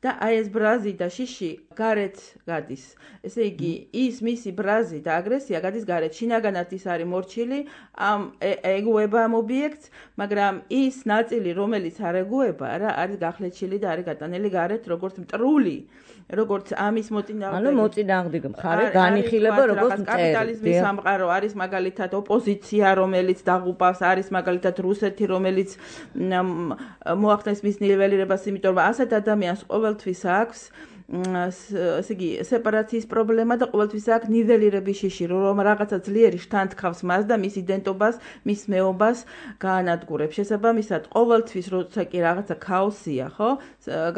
S3: და აი ეს ბრაზი და შიში გარეთ გადის. ესე იგი, ის მისი ბრაზი და აგრესია გადის გარეთ. შინაგანად ის არის მორჩილი, ეგუება ამ ობიექტს, მაგრამ ის ნაწილი, რომელიც არ ეგუება, რა არის გახლეჩილი და არის გატანილი გარეთ, როგორც მტრული, როგორც ამის მოწინააღმდეგე.
S2: ანუ მოწინააღმდეგე მხარე განიხილება როგორც
S3: კაპიტალიზმის სამყარო, არის მაგალითად ოპოზიცია, რომელიც დაღუპავს, არის მაგალითად რუსეთი, რომელიც მოახდენს მის ნიველირებას, იმიტომ რომ ასეთ ადამიანს ყოველთვის აქვს ესე იგი სეპარაციის პრობლემა და ყოველთვის აქვს ნიველირების შიში, რომ რაღაცა ძლიერი შთანთქავს მას და მის იდენტობას, მის მეობას გაანადგურებს. შესაბამისად, ყოველთვის როცა კი რაღაცა ქაოსია, ხო,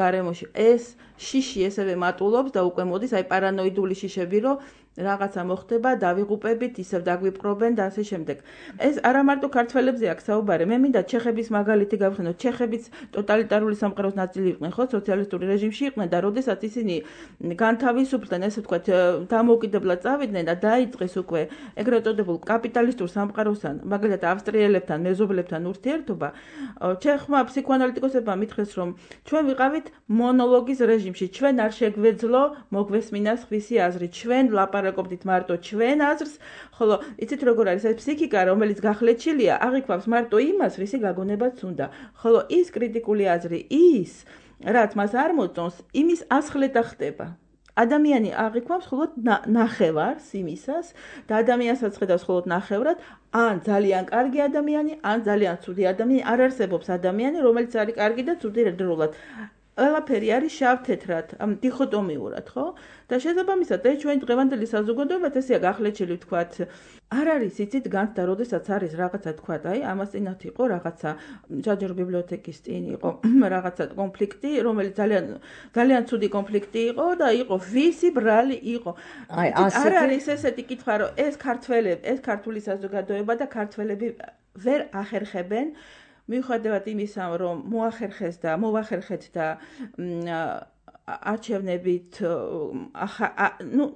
S3: გარემოში ეს შიში ესევე მატულობს და უკვე მოდის აი პარანოიდული შიშები, რომ რაღაცა მოხდება, დავიღუპებით, ისევ დაგვიპყრობენ და ასე შემდეგ. ეს არა მარტო ქართველებზე აქვს საუბარი, მე მინდა ჩეხების მაგალითი გავხსენოთ. ჩეხებიც ტოტალიტარული სამყაროს ნაწილი იყვნენ, ხო, სოციალისტური რეჟიმში იყვნენ და როდესაც ისინი განთავისუფლდნენ, ესე ვთქვათ, დამოუკიდებლად წავიდნენ და დაიწყეს უკვე ეგრეთ წოდებულ კაპიტალისტურ სამყაროსთან, მაგალითად ავსტრიელებთან, მეზობლებთან ურთიერთობა, ჩეხმა ფსიქოანალიტიკოსებმა მითხრეს, რომ ჩვენ ვიყავით მონოლოგის რეჟიმში, ჩვენ არ შეგვეძლო მოგვესმინა სხვისი აზრი, ჩვენ ლაპარაკობდით მარტო ჩვენ აზრს, ხოლო იცით როგორ არის ეს ფსიქიკა, რომელიც გახლეჩილია, აღიქვამს მარტო იმას, რისი გაგონებაც უნდა. ხოლო ის კრიტიკული აზრი, ის რაც მას არ მოწონს, იმის ასხლეტა ხდება. ადამიანი აღიქვამს მხოლოდ ნახევარს იმისას და ადამიანსაც ხედავს მხოლოდ ნახევრად, ან ძალიან კარგი ადამიანი, ან ძალიან ცუდი ადამიანი, არ არსებობს ადამიანი, რომელიც არის კარგი და ცუდი ერთდროულად. ყველაფერი არის შავ-თეთრად, დიხოტომიურად, ხო? და შესაბამისად, ეს ჩვენი დღევანდელი საზოგადოებაც ესეა გახლეჩილი, ვთქვათ, არ არის იცით განცდა, როდესაც არის რაღაცა, თქვათ, აი, ამას წინათ იყო რაღაცა ჯაჯერ ბიბლიოთეკის წინ იყო რაღაცა კონფლიქტი, რომელიც ძალიან ცუდი კონფლიქტი იყო და იყო ვისი ბრალი იყო.
S2: აი,
S3: არ არის ესეთი კითხვა, რომ ეს ქართული საზოგადოება და ქართველები ვერ ახერხებენ მიუხედავად იმისა, რომ მოახერხეს და მოვახერხეთ და არჩევნებით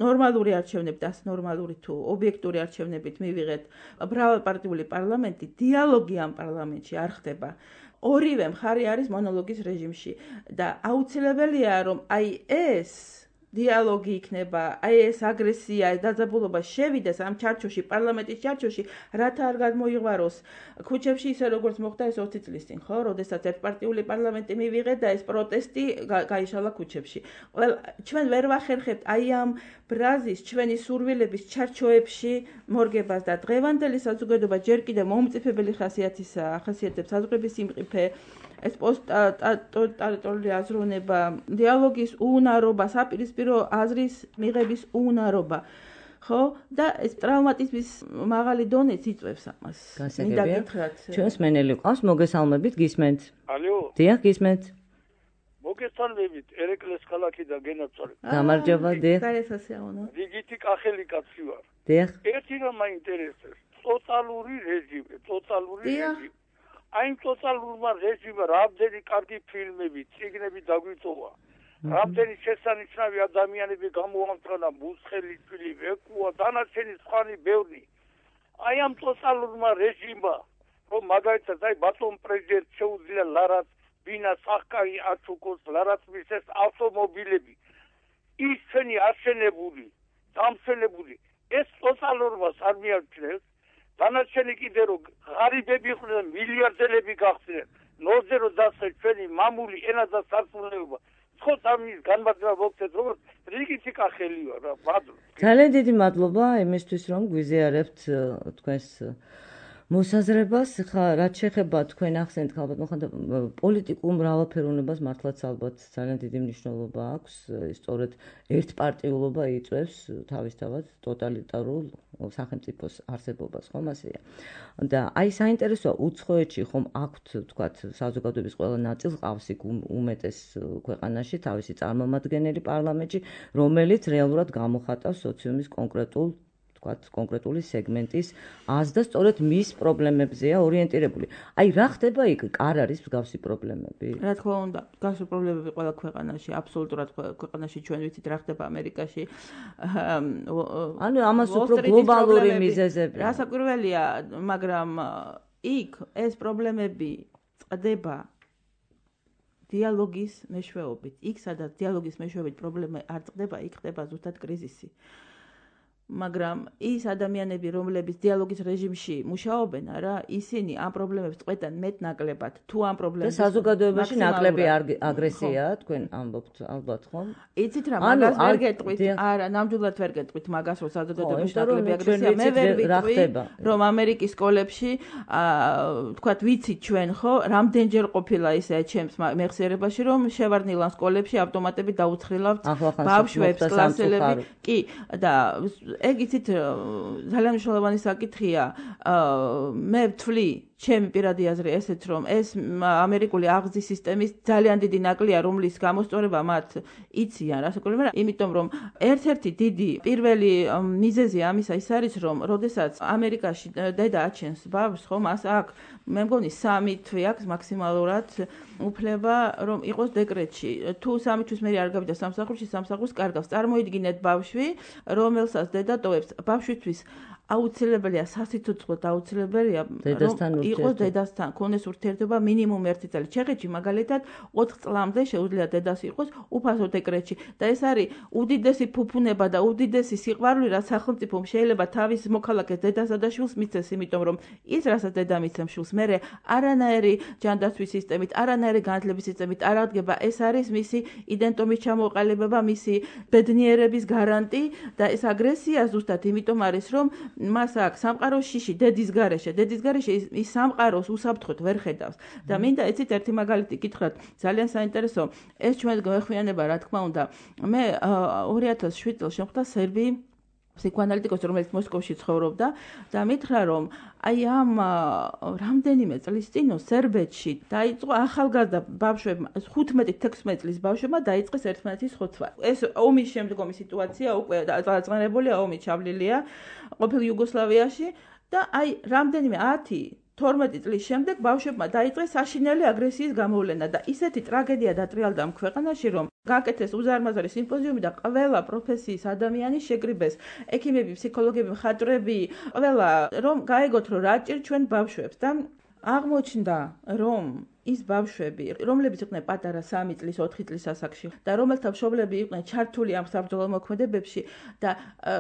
S3: ნორმალური არჩევნებით, ნორმალური თუ ობიექტური არჩევნებით მივიღეთ მრავალპარტიული პარლამენტი, დიალოგი ამ პარლამენტში არ ხდება. ორივე მხარე არის მონოლოგის რეჟიმში და აუცილებელია, რომ აი ეს დიალოგი იქნება, აი ეს აგრესია, ეს დაძაბულობა შევიდეს ამ ჩარჩოში, პარლამენტის ჩარჩოში, რათა არ გადმოიღვაროს ქუჩებში ისე როგორც მოხდა ეს 20 წლის წინ, ხო, როდესაც ერთპარტიული პარლამენტი მივიღეთ და ეს პროტესტი გაიშალა ქუჩებში. ჩვენ ვერ ვახერხებთ აი ამ ბრაზის, ჩვენი სურვილების ჩარჩოებში მორგებას და დღევანდელი საზოგადოება ჯერ კიდევ მომწიფებელი ხასიათისაა, ახასიათებს საზღვრების სიმყიფე, ეს პოსტტოტალიტარული აზროვნება, დიალოგის უუნარობა, საპირისპირო აზრის მიღების უუნარობა. ხო? და ეს ტრავმატიზმის მაღალი დონეც იწვევს ამას. მინდა გითხრათ.
S2: ჩვენს მენელი ყავს, მოგესალმებით, გისმენთ.
S5: ალო.
S2: დიახ, გისმენთ.
S5: მოგესალმებით, ერეკლეს ქალაქი და გენაცვალე.
S2: გამარჯობა, დიახ.
S3: გარესასიაუნა.
S5: რიგითი კახელი კაცი ვარ.
S2: დიახ.
S5: ერთი რამ მაინტერესებს, ტოტალური რეჟიმი, რეჟიმი. აი ამ ტოტალურმა რეჟიმმა რამდენი კარგი ფილმები, წიგნები დაგვიწოვა. რამდენი შესანიშნავი ადამიანები გამოამწვანა, მუსხელი თვილი, ეკუა, დანარჩენი სხვანი ბევრი. აი ამ ტოტალურმა რეჟიმმა, რომ მაგალითად აი ბატონ პრეზიდენტ შეუძლია ლარაც ბინას ახკარი აჩუქოს, ლარაც მისეს ავტომობილები. ის ჩვენი არჩენებული, დამსვენებული, ეს ტოტალურობას არ მიაჩნევს. დანარჩენი კიდე რომ ღარიბები იყვნენ, მილიარდელები გახდნენ, ნოზე რომ დასწრეთ ჩვენი მამული ენა და სარწმუნოება. ხო სამის განმარტება მოგცეთ, როგორც რიგითი კახელი ვარ, რა, მადლობა.
S2: ძალიან დიდი მადლობა იმისთვის, რომ გვიზიარებთ თქვენს მოსაზრებას. ხა რაც შეეხება თქვენ ახსენეთ ალბათ მოხდა პოლიტიკურ მრავალფეროვნებას მართლაც ალბათ ძალიან დიდი მნიშვნელობა აქვს. სწორედ ერთპარტიულობა იწვევს თავისთავად ტოტალიტარულ სახელმწიფოს არსებობას, ხომ ასეა. და აი საინტერესოა უცხოეთში ხომ აქვთ თქვათ საზოგადოების ყველა ნაწილს ყავს იქ უმეტეს ქვეყანაში თავისი წარმომადგენელი პარლამენტში, რომელიც რეალურად გამოხატავს სოციუმის კონკრეტული სეგმენტის აზრს და სწორედ მის პრობლემებზეა ორიენტირებული. აი რა ხდება იქ? არ არის მსგავსი პრობლემები?
S3: რა თქმა უნდა, მსგავსი პრობლემები ყველა ქვეყანაში, აბსოლუტურად ქვეყანაში ჩვენ ვიცით რა ხდება ამერიკაში.
S2: ანუ ამას უფრო გლობალური მიზეზები.
S3: რასაკვირველია, მაგრამ იქ ეს პრობლემები წყდება დიალოგის მეშვეობით. იქ სადაც დიალოგის მეშვეობით პრობლემა არ წყდება, იქ ხდება ზუსტად კრიზისი. მაგრამ ის ადამიანები, რომლებიც დიალოგის რეჟიმში მუშაობენ, არა, ისინი ამ პრობლემებს წყვეტენ მეტ-ნაკლებად. თუ ამ პრობლემებს
S2: და საზოგადოებაში ნაკლები აგრესიაა, თქვენ ამბობთ ალბათ, ხო?
S3: იცით რა, მაგას ვერ გეტყვით, არა, ნამდვილად ვერ გეტყვით მაგას, რომ საზოგადოებაში ნაკლები აგრესია. მე ვერ ვიტყვი, რომ ამერიკის სკოლებში, თქვათ, ვიცით ჩვენ, ხო, რამდენჯერ ყოფილა ისე ჩემს მეხსიერებაში, რომ შევარდნილან სკოლებში ავტომატები დაუცხრილავთ ბავშვებს, კლასელები. კი, და ეგ იცით ძალიან მნიშვნელოვანი საკითხია. მე ვთვლი ჩემი პირადი აზრი ესეც, რომ ეს ამერიკული აღზრდის სისტემის ძალიან დიდი ნაკლია, რომლის გამოსწორება მათ იციან, რასაკვირველია, იმიტომ რომ ერთ-ერთი დიდი პირველი მიზეზი ამისა ის არის, რომ როდესაც ამერიკაში დედა აჩენს ბავშვს, ხო, მას აქვს, მე მგონი 3 თვე აქვს მაქსიმალურად უფლება, რომ იყოს დეკრეტში. თუ 3 თვის მერე არ გავიდა სამსახურში, სამსახურს კარგავს. წარმოიდგინეთ ბავშვი, რომელსაც დედა ტოვებს. ბავშვისთვის აუცილებელია სასიცოცხლოდ აუცილებელია რომ იყოს დედასთან, ქონდეს ურთიერთობა მინიმუმ 1 წელი. ჩეხეთში მაგალითად 4 წლამდე შეუძლია დედას იყოს უფასო დეკრეტში და ეს არის უდიდესი ფუფუნება და უდიდესი სიყვარული, რაც სახელმწიფომ შეიძლება თავის მოქალაქეს დედასა და შვილს მისცეს, იმიტომ რომ ის რასაც დედა მისცემს შვილს, მერე არანაირი ჯანდაცვის სისტემით, არანაირი განათლების სისტემით არ აღდგება. ეს არის მისი იდენტობის ჩამოყალიბება, მისი ბედნიერების გარანტი და ეს აგრესია ზუსტად იმიტომ არის, რომ მას აქვს სამყაროს შიში დედის გარეშე ის სამყაროს უსაფრთხოდ ვერ ხედავს და მინდა ეცით ერთი მაგალითი გითხრათ ძალიან საინტერესო ეს ჩვენ გვეხმიანება რა თქმა უნდა მე 2007 წელს შემხვდა სერბი ფსიქოანალიტიკოსი რომელიც მოსკოვში ცხოვრობდა და მითხრა რომ აი ამ რამდენიმე წლის წინ სერბეთში დაიწყო ახალგაზრდა ბავშვებმა 15-16 წლის ბავშვებმა დაიწყეს ერთმანეთის ხოცვა. ეს ომის შემდგომი სიტუაცია უკვე დაწყენებულია, ომი ჩავლილია ყოფილ იუგოსლავიაში და აი რამდენიმე 10-12 წლის შემდეგ ბავშვებმა დაიწყეს საშინელი აგრესიის გამოვლენა და ისეთი ტრაგედია დატრიალდა ამ ქვეყანაში, რომ გაკეთეს უზარმაზარი სიმპოზიუმი და ყველა პროფესიის ადამიანი შეკრიბეს, ექიმები, ფსიქოლოგები, მხატვრები, ყველა რომ გაეგოთ რომ რა ჭირ ჩვენ ბავშვებს და აღმოჩნდა რომ ის ბავშვები, რომლებიც იყვნენ პატარა 3 წლის, 4 წლის ასაკში და რომელთა მშობლები იყვნენ ჩართული ამ საბრძოლო მოქმედებებში და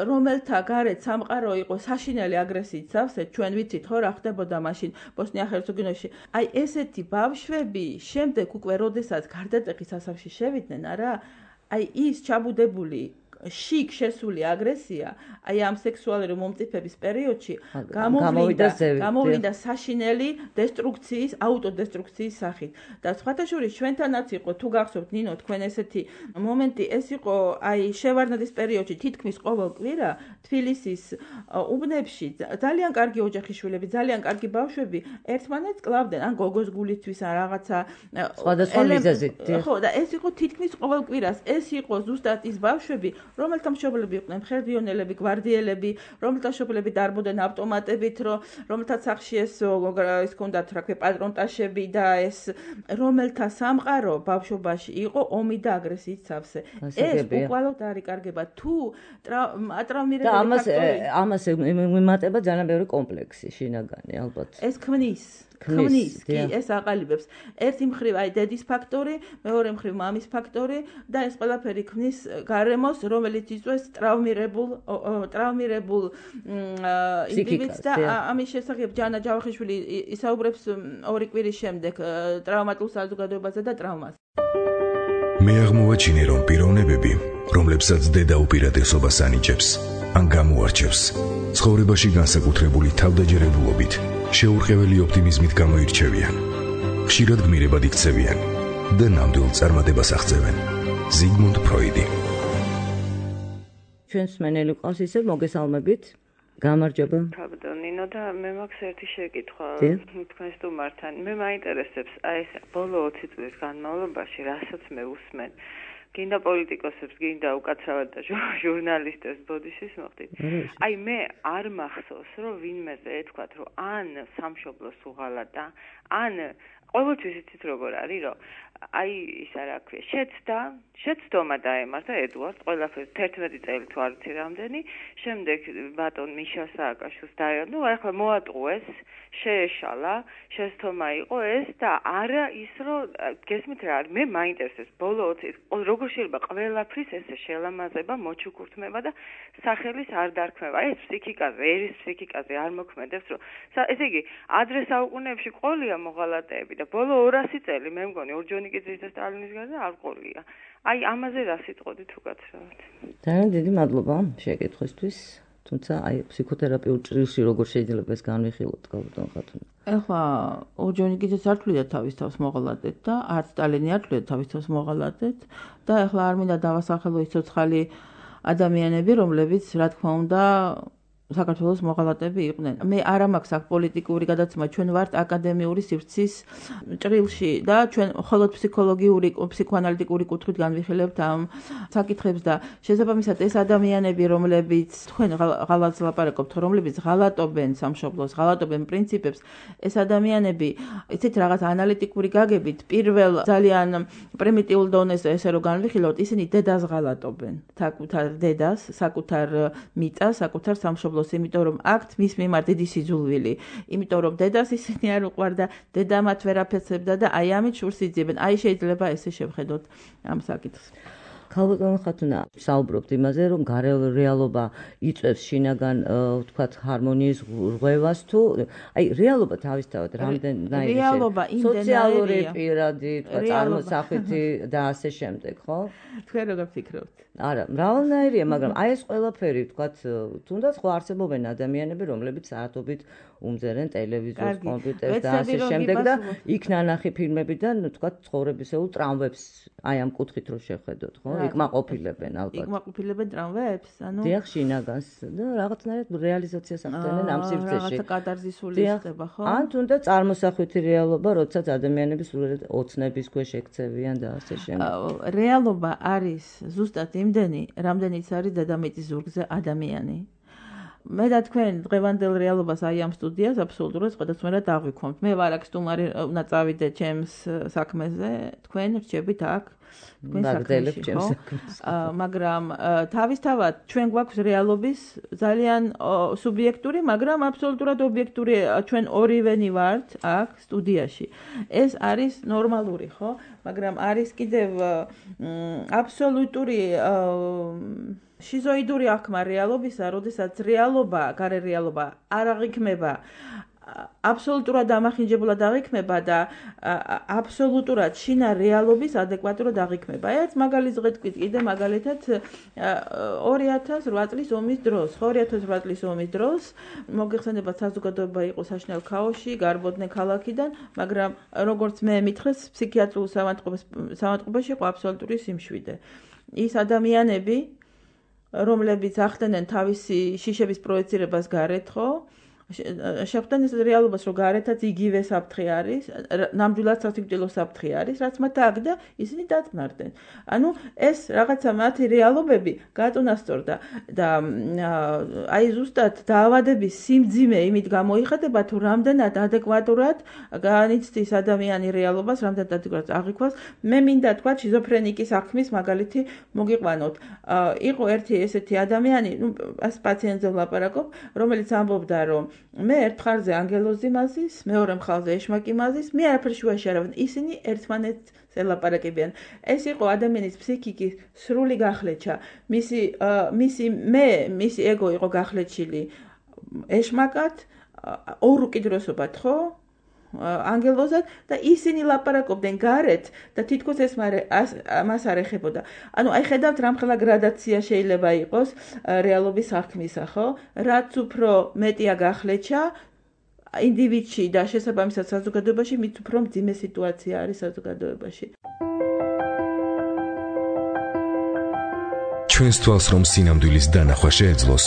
S3: რომელთა გარეთ სამყარო იყო საშინელი აგრესიით სავსე, ჩვენ ვიცით ხო რა ხდებოდა მაშინ ბოსნია-ჰერცეგოვინაში. აი ესეთი ბავშვები შემდეგ უკვე როდესაც გარდატეხის ასაკში შევიდნენ, არა, აი ის ჩაბუდებული შიგ შესული აგრესია, აი ამ სექსუალური მომწიფების პერიოდში გამოვიდა საშინელი დესტრუქციის, აუტოდესტრუქციის სახით. და სხვათა შორის ჩვენთანაც იყო, თუ გახსოვთ ნინო, თქვენ ესეთი მომენტი, ეს იყო აი შევარდნაძის პერიოდში თითქმის ყოველ კვირა თბილისის უბნებში ძალიან კარგი ოჯახის შვილები, ძალიან კარგი ბავშვები ერთმანეთს კლავდნენ, ან გოგოს გულისთვის ან რაღაცა
S2: სხვადასხვა მიზეზით.
S3: ხო, და ეს იყო თითქმის ყოველ კვირას. ეს იყო ზუსტად ის ბავშვები, რომელთა მშობლები იყვნენ მხერდიონელები, გვარდიელები, რომელთა მშობლები დარბოდნენ ავტომატებით, რომელთა სახლში ეს ჰქონდათ რა ქვია პატრონტაშები და ეს რომელთა სამყარო ბავშვობაში იყო ომი და აგრესიით სავსე. ეს უკვალოდ არ იკარგება თუ ატრავმირებული
S2: ფაქტორი. და ამას მიმატება ძალიან ბევრი კომპლექსი შინაგანი ალბათ.
S3: ეს ქმნის კი ეს აყალიბებს ერთი მხრივ აი დედის ფაქტორი, მეორე მხრივ მამის ფაქტორი და ეს ყველაფერი ქმნის გარემოს, რომელიც იწვევს ტრავმირებულ ინდივიდს და ამის შესახებ ჯანა ჯავახიშვილი ისაუბრებს 2 კვირის შემდეგ ტრავმატულ საზოგადოებაზე და ტრავმას.
S1: მე აღმოვაჩინე რომ პიროვნებები, რომლებსაც დედა უპირატესობას ანიჭებს ან გამოარჩევს, ცხოვრებაში განსაკუთრებული თავდაჯერებულობით შეურყეველი ოპტიმიზმით გამოირჩევიან. ხშირად გმირებად იქცევიან და ნამდვილ წარმატებას აღწევენ. ზიგმუნდ ფროიდი.
S2: ჩვენს მენელი ყავს ისე მოგესალმებით. გამარჯობა.
S6: ნინო და მე მაქვს ერთი შეკითხვა თქვენ სტუმართან. მე მაინტერესებს აი ეს ბოლო 20 წლის განმავლობაში რასაც მე ვუსმენ. გინდა პოლიტიკოსებს, გინდა უკაცრავად და ჟურნალისტებს ბოდიშის მოხდით. აი მე არ მახსოვს, რომ ვინმეზე ეთქვათ, რომ ან სამშობლოს უღალატა, ან ყოველთვის იცით როგორ არის, რომ აი ისა რა ქვია, შეცდომა დაემართა ედუარდ, ყველაფერს 11 წელი თუ არ ვიცი რამდენი, შემდეგ ბატონ მიშა სააკაშვილს დაერნო, ახლა მოატყუეს, შეეშალა, შეცდომა იყო ეს და არა ის, რომ გესმით რა არის, მე მაინტერესებს ბოლო 20 როგორ შეიძლება ყველაფრის ესე შელამაზება, მოჩუქურთმება და სახელის არ დარქმევა. ეს ფსიქიკაზე, ერის ფსიქიკაზე არ მოქმედებს, რომ ესე იგი, ადრე საუკუნეებში ყოლია მოღალატეები და ბოლო 200 წელი მე მგონი ორჯონიკიძის და სტალინის გარდა არ ყოლია. აი ამაზე რა სიტყოდით უკაცრავად.
S2: ძალიან დიდი მადლობა შეკითხვისთვის. თუმცა აი ფსიქოთერაპიულ ჭრილში როგორ შეიძლება ეს განვიხილოთ გაბატონ ხათუნა.
S3: ეხლა ორჯონიკიძეს არ თვლიდა თავის თავს მოღალატედ და არც სტალინი არ თვლიდა თავის თავს მოღალატედ და ეხლა არ მინდა დავასახელო ის ცოცხალი ადამიანები, რომლებიც რა თქმა უნდა საქართველოს მოღალატეები იყვნენ. მე არ მაქვს აქ პოლიტიკური გადაცემა, ჩვენ ვართ აკადემიური სივრცის ჭრილში და ჩვენ მხოლოდ ფსიქოლოგიური, ფსიქოანალიტიკური კუთხით განვიხილებთ ამ საკითხებს და შესაბამისად ეს ადამიანები, რომლებიც თქვენ ღალატს ლაპარაკობთ, რომლებიც ღალატობენ სამშობლოს, ღალატობენ პრინციპებს, ეს ადამიანები, იცით რაღაც ანალიტიკური გაგებით, პირველ ძალიან პრიმიტიულ დონეზე ესე რომ განვიხილოთ, ისინი დედას ღალატობენ, საკუთარ დედას, საკუთარ მიწას, საკუთარ სამშობლოს, იმიტომ რომ აქ მის მიმართ დიდი სიძულვილი, იმიტომ რომ დედას ისინი არ უყვარდა, დედა მათ ვერ აფეცებდა და აი ამით შურს იძიებენ. აი შეიძლება ესე შევხედოთ ამ საკითხს.
S2: ქალბატონო ხათუნა, საუბრობთ იმაზე, რომ გარეული რეალობა იწვევს შინაგან, ვთქვათ, ჰარმონიის რღვევას თუ აი რეალობა თავისთავად რამდენიერი სოციალური პირადი, ვთქვათ, წარმოსახვითი და ასე შემდეგ, ხო?
S3: თქვენ როგორ ფიქრობთ?
S2: არა, მრავალნაირია, მაგრამ აი ეს ყველაფერი, ვთქვათ, თუნდაც ხო არსებობენ ადამიანები, რომლებიც საათობით უმზერენ ტელევიზორს, კომპიუტერს და ასე შემდეგ და იქ ნანახი ფილმებიდან, ვთქვათ, ცხოვრებისეულ ტრამვებს აი ამ კუთხით რო შევხედოთ, ხო? იკმაყოფილებენ ალბათ.
S3: იკმაყოფილებენ ტრამვებს, ანუ
S2: დიახ, შინაგანს და რაღაცნაირად რეალიზაციას ახდენენ ამ სივრცეში.
S3: რაღაცა კატარზისული ხდება, ხო?
S2: ან თუნდაც წარმოსახვითი რეალობა, როდესაც ადამიანები სულ ოცნების ქვეშ ექცევიან და ასე შემდეგ.
S3: რეალობა არის ზუსტად იმდენი, რამდენიც არის დედამიწის ზურგზე ადამიანი. მე და თქვენ დღევანდელ რეალობას აი ამ სტუდიას აბსოლუტურად სხვადასხვანაირად აღვიქვამთ. მე ვარ აქ სტუმარი, უნდა წავიდე ჩემს საქმეზე, თქვენ რჩებით აქ თქვენ საქმეში, ხო? მაგრამ თავისთავად ჩვენ გვაქვს რეალობის ძალიან სუბიექტური, მაგრამ აბსოლუტურად ობიექტური, ჩვენ ორივენი ვართ აქ სტუდიაში. ეს არის ნორმალური, ხო? მაგრამ არის კიდევ აბსოლუტური შიზოიდური აღქმა რეალობისა, როდესაც რეალობა, გარე რეალობა არ აღიქმება, აბსოლუტურად ამახინჯებულად აღიქმება და აბსოლუტურად შინა რეალობის ადეკვატურად აღიქმება. ერთ მაგალითს ვღეთქვით კიდე მაგალითად 2008 წლის ომის დროს, 2008 წლის ომის დროს მოგეხსენებათ საზოგადოება იყო საშინელ ქაოსში, გარბოდნენ ქალაქიდან, მაგრამ როგორც მე მითხრეს, ფსიქიატრიულ საავადმყოფოში იყო აბსოლუტური სიმშვიდე. ის ადამიანები რომლებიც ახდენენ თავისი შიშების პროექცირებას გარეთ, ხო? შეხვდნენ ეს რეალობას, რომ გარეთაც იგივე საფრთხე არის, ნამდვილად სასიკვდილო საფრთხე არის, რაც მათ აქ და ისინი დაწნარდნენ. ანუ ეს რაღაცა მათი რეალობები გაწონასწორდა და აი ზუსტად დაავადების სიმძიმე იმით გამოიხატება, თუ რამდენად ადეკვატურად განიცდის ადამიანი რეალობას, რამდენად ადეკვატურად აღიქვას. მე მინდა თქვა შიზოფრენიკის აღქმის მაგალითი მოგიყვანოთ. იყო ერთი ესეთი ადამიანი, ეს პაციენტზე ვლაპარაკობ, რომელიც ამბობდა, რომ მე ერთ მხარზე ანგელოზი მაზის, მეორე მხარზე ეშმაკი მაზის, მე არაფერ შუაში არ ვარ. ისინი ერთმანეთს ელაპარაკებიან. ეს იყო ადამიანის ფსიქიკის სრული გახლეჩა. მისი ეგო იყო გახლეჩილი ეშმაკად, ორ უკიდურესობად, ხო? ანგელოზად და ისინი ლაპარაკობდნენ გარეთ და თითქოს ეს მას არ ეხებოდა. ანუ აი ხედავთ რამხელა გრადაცია შეიძლება იყოს რეალობის აღქმისა, ხო? რაც უფრო მეტია გახლეჩა ინდივიდში და შესაბამისად საზოგადოებაში, მით უფრო მძიმე სიტუაცია არის საზოგადოებაში.
S1: ჩვენს თვალს რომ სინამდვილის დანახვა შეეძლოს,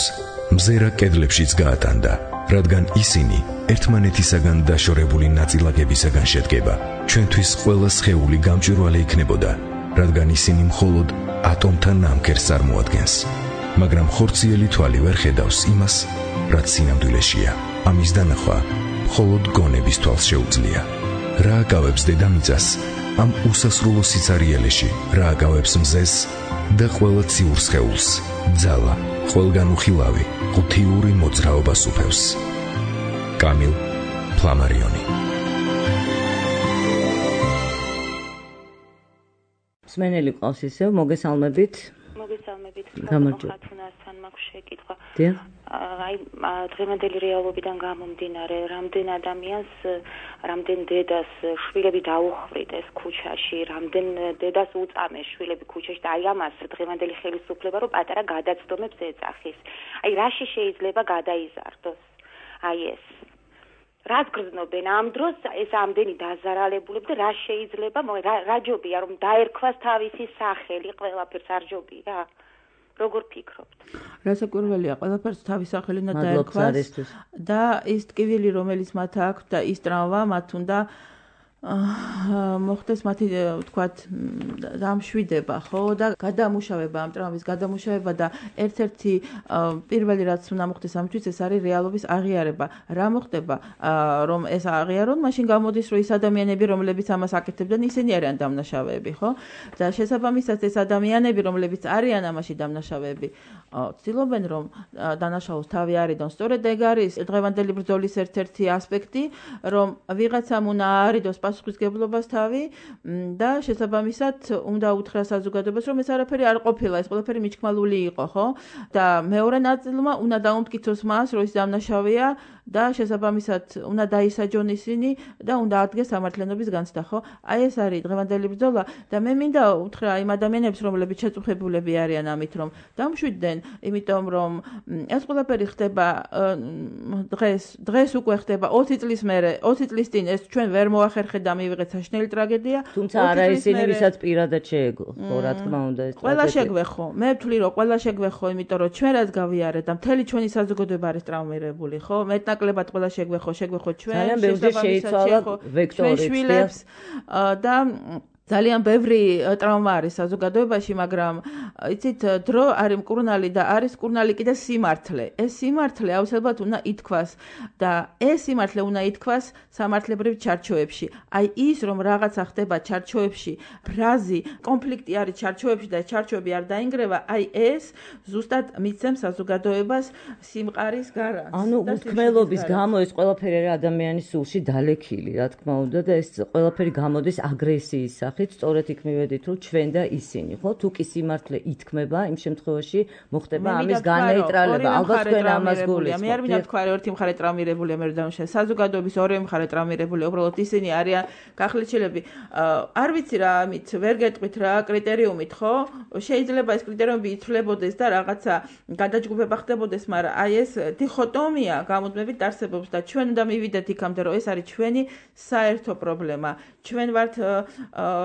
S1: მზერა კედლებშიც გაატანდა, რადგან ისინი ერთმანეთისაგან დაშორებული ნაწილაკებისაგან შედგება. ჩვენთვის ყველა სხეული გამჭვირვალე იქნებოდა, რადგან ისინი მხოლოდ ატომთან ნამქერს წარმოადგენს. მაგრამ ხორციელი თვალი ვერ ხედავს იმას, რაც სინამდვილეშია. ამის დანახვა მხოლოდ გონების თვალს შეუძლია. რა აკავებს დედამიწას ამ უსასრულო სიცარიელეში, რა აკავებს მზეს და ყველა ციურ სხეულს, ძალა, ყველგან უხილავი, ღუთიური მოძრაობა სუფევს. კამილ ფლამარიონი.
S2: მსმენელი ყავს ისევ, მოგესალმებით.
S6: მოგესალმებით.
S2: გამარჯობა.
S6: ხათუნასთან მაქვს შეკითხვა.
S2: დიახ.
S6: აი დღევანდელი რეალობიდან გამომდინარე, რამდენ ადამიანს, რამდენ დედას შვილები დაუხვრიტეს ქუჩაში, რამდენ დედას უწამეს შვილები ქუჩაში და აი ამას დღევანდელი ხელისუფლება რომ პატარა გადაცდომებს ეძახის. აი რაში შეიძლება გადაიზარდოს? აი ეს რაც გრძნობენ ამ დროს ეს ამდენი დაზარალებულები და რა შეიძლება რა ჯობია რომ დაერქვას თავისი სახელი ყველაფერს არ ჯობია
S7: როგორ ფიქრობთ?
S3: რასაკვირველია, ყველაფერს თავის სახელი უნდა დაერქვას და ის ტკივილი, რომელიც მათ აქვს და ის ტრამვა მათ უნდა მოხდეს მათი ვთქვათ დამშვიდება, ხო და გადამუშავება ამ ტრამვის გადამუშავება და ერთ-ერთი პირველი რაც უნდა მოხდეს ამისთვის ეს არის რეალობის აღიარება. რა მოხდება რომ ეს აღიარონ, მაშინ გამოდის რომ ის ადამიანები რომლებიც ამას აკეთებდნენ ისინი არიან დამნაშავეები, ხო? და შესაბამისად ეს ადამიანები რომლებიც არიან ამაში დამნაშავეები ცდილობენ რომ დანაშაულს თავი არიდონ. სწორედ ეგ არის დღევანდელი ბრძოლის ერთ-ერთი ასპექტი, რომ ვიღაცამ უნდა არიდოს პასუხისგებლობას თავი და შესაბამისად უნდა უთხრა საზოგადოებას რომ ეს არაფერი არ ყოფილა, ეს ყველაფერი მიჩქმალული იყო, ხო? და მეორე ნაწილმა უნდა დაუმტკიცოს მას, რომ ის დამნაშავეა და შესაბამისად უნდა დაისაჯონ ისინი და უნდა ადგეს სამართლიანობის განცდა, ხო? აი ეს არის დღევანდელი ბრძოლა და მე მინდა უთხრა იმ ადამიანებს, რომლებიც შეწუხებულები არიან ამით, რომ დამშვიდდნენ, იმიტომ რომ ეს ყველაფერი ხდება დღეს უკვე ხდება 20 წლის მერე, 20 წლის წინ ეს ჩვენ ვერ მოახერხეთ და მივიღეთ საშინელი ტრაგედია.
S2: თუმცა არა ისინი, ვისაც პირადად შეეძლო, ხო, რა თქმა უნდა ეს
S3: ყველა შეგვეხო. მე ვთვლი რომ ყველა შეგვეხო, იმიტომ რომ ჩვენ რაც გავიარეთ და მთელი ჩვენი საზოგადოება არის ტრაუმირებული, ხო? მეტნაკლებად ყველა შეგვეხო ჩვენ.
S2: ძალიან ბევრი შეიცვალა ვექტორიც
S3: და ძალიან ბევრი ტრავმა არის საზოგადოებაში, მაგრამ იცით, დრო არის მკურნალი და არის მკურნალი კიდე სიმართლე. ეს სიმართლე აუცილებლად უნდა ითქვას და ეს სიმართლე უნდა ითქვას სამართლებრივ ჩარჩოებში. აი ის რომ რაღაცა ხდება ჩარჩოებში, ბრაზი, კონფლიქტი არის ჩარჩოებში და ჩარჩოები არ დაინგრევა, აი ეს ზუსტად მიცემს საზოგადოებას სიმყარის გარანტს.
S2: ანუ უთქმელობის გამო ეს ყველაფერი არის ადამიანის სულში დალექილი, რა თქმა უნდა და ეს ყველაფერი გამოდის აგრესიის სწორედ იქ მივედით რომ ჩვენ და ისინი, ხო? თუ კი სიმართლე ითქმება, იმ შემთხვევაში მოხდება ამის განეიტრალება. ალბათ თქვენ ამას გულისხმობთ.
S3: მე არ მინდა თქვა რომ ერთი მხარე ტრაუმირებულია, მე დამშა. საზოგადოების ორივე მხარე ტრაუმირებულია, უბრალოდ ისინი არიან გახლეჩილები. არ ვიცი რა, ამით ვერ გეტყვით რა კრიტერიუმით, ხო? შეიძლება ეს კრიტერიუმები იცვლებოდეს და რაღაცა გადაჯგუფება ხდებოდეს, მაგრამ აი ეს დიხოტომია გამუდმებით არსებობს და ჩვენ უნდა მივიდეთ იქამდე, რომ ეს არის ჩვენი საერთო პრობლემა. ჩვენ ვართ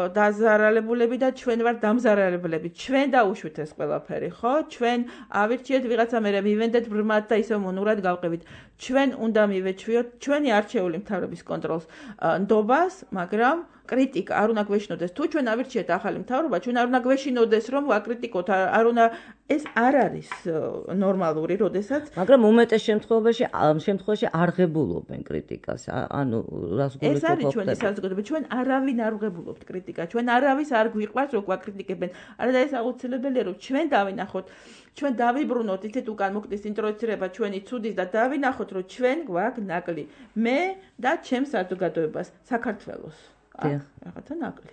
S3: დაზარალებულები და ჩვენ ვართ დამზარალებლები. ჩვენ დაუშვით ეს ყველაფერი, ხო? ჩვენ ავირჩიეთ ვიღაცა მერე მივენდეთ ბრმად და ისე მონურად გავყევით. ჩვენ უნდა მივეჩვიოთ ჩვენი არჩეული მთავრობის კონტროლს ნდობას, მაგრამ კრიტიკა არ უნდა გვეშინოდეს. თუ ჩვენ ავირჩიეთ ახალი მთავრობა, ჩვენ არ უნდა გვეშინოდეს რომ ვაკრიტიკოთ, არ უნდა ეს არ არის ნორმალური, როდესაც,
S2: მაგრამ უმეტეს შემთხვევაში არღებულობენ კრიტიკას. ანუ რას გულისხმობთ?
S3: ეს არის ჩვენი საზოგადოება, ჩვენ არავინ არ ვღებულობთ კრიტიკას. ჩვენ არავის არ გვიყვარს რომ გვაკრიტიკებენ. არა და ეს აუცილებელია რომ ჩვენ დავინახოთ, ჩვენ დავიბრუნოთ ისეთ უკან მოხდეს ინტროექცირება ჩვენი ცუდის და დავინახოთ რომ ჩვენ გვაქვს ნაკლი. მე და ჩემს საზოგადოებას, საქართველოს. რაღაცა ნაკლი.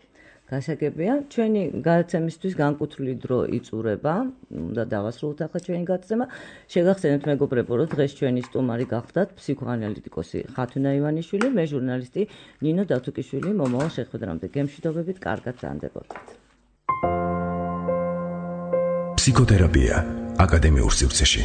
S2: გასაგებია, ჩვენი გადაცემისთვის განკუთვნილი დრო იწურება, უნდა დავასრულოთ ახლა ჩვენი გადაცემა. შეგახსენებთ მეგობრებო, რომ დღეს ჩვენი სტუმარი გახდათ ფსიქოანალიტიკოსი ხათუნა ივანიშვილი, მე ჟურნალისტი ნინო დათუკიშვილი. მომავალ შეხვედრამდე გემშვიდობებით, კარგად ზანდებოდეთ.
S1: ფსიქოთერაპია აკადემიურ სივრცეში.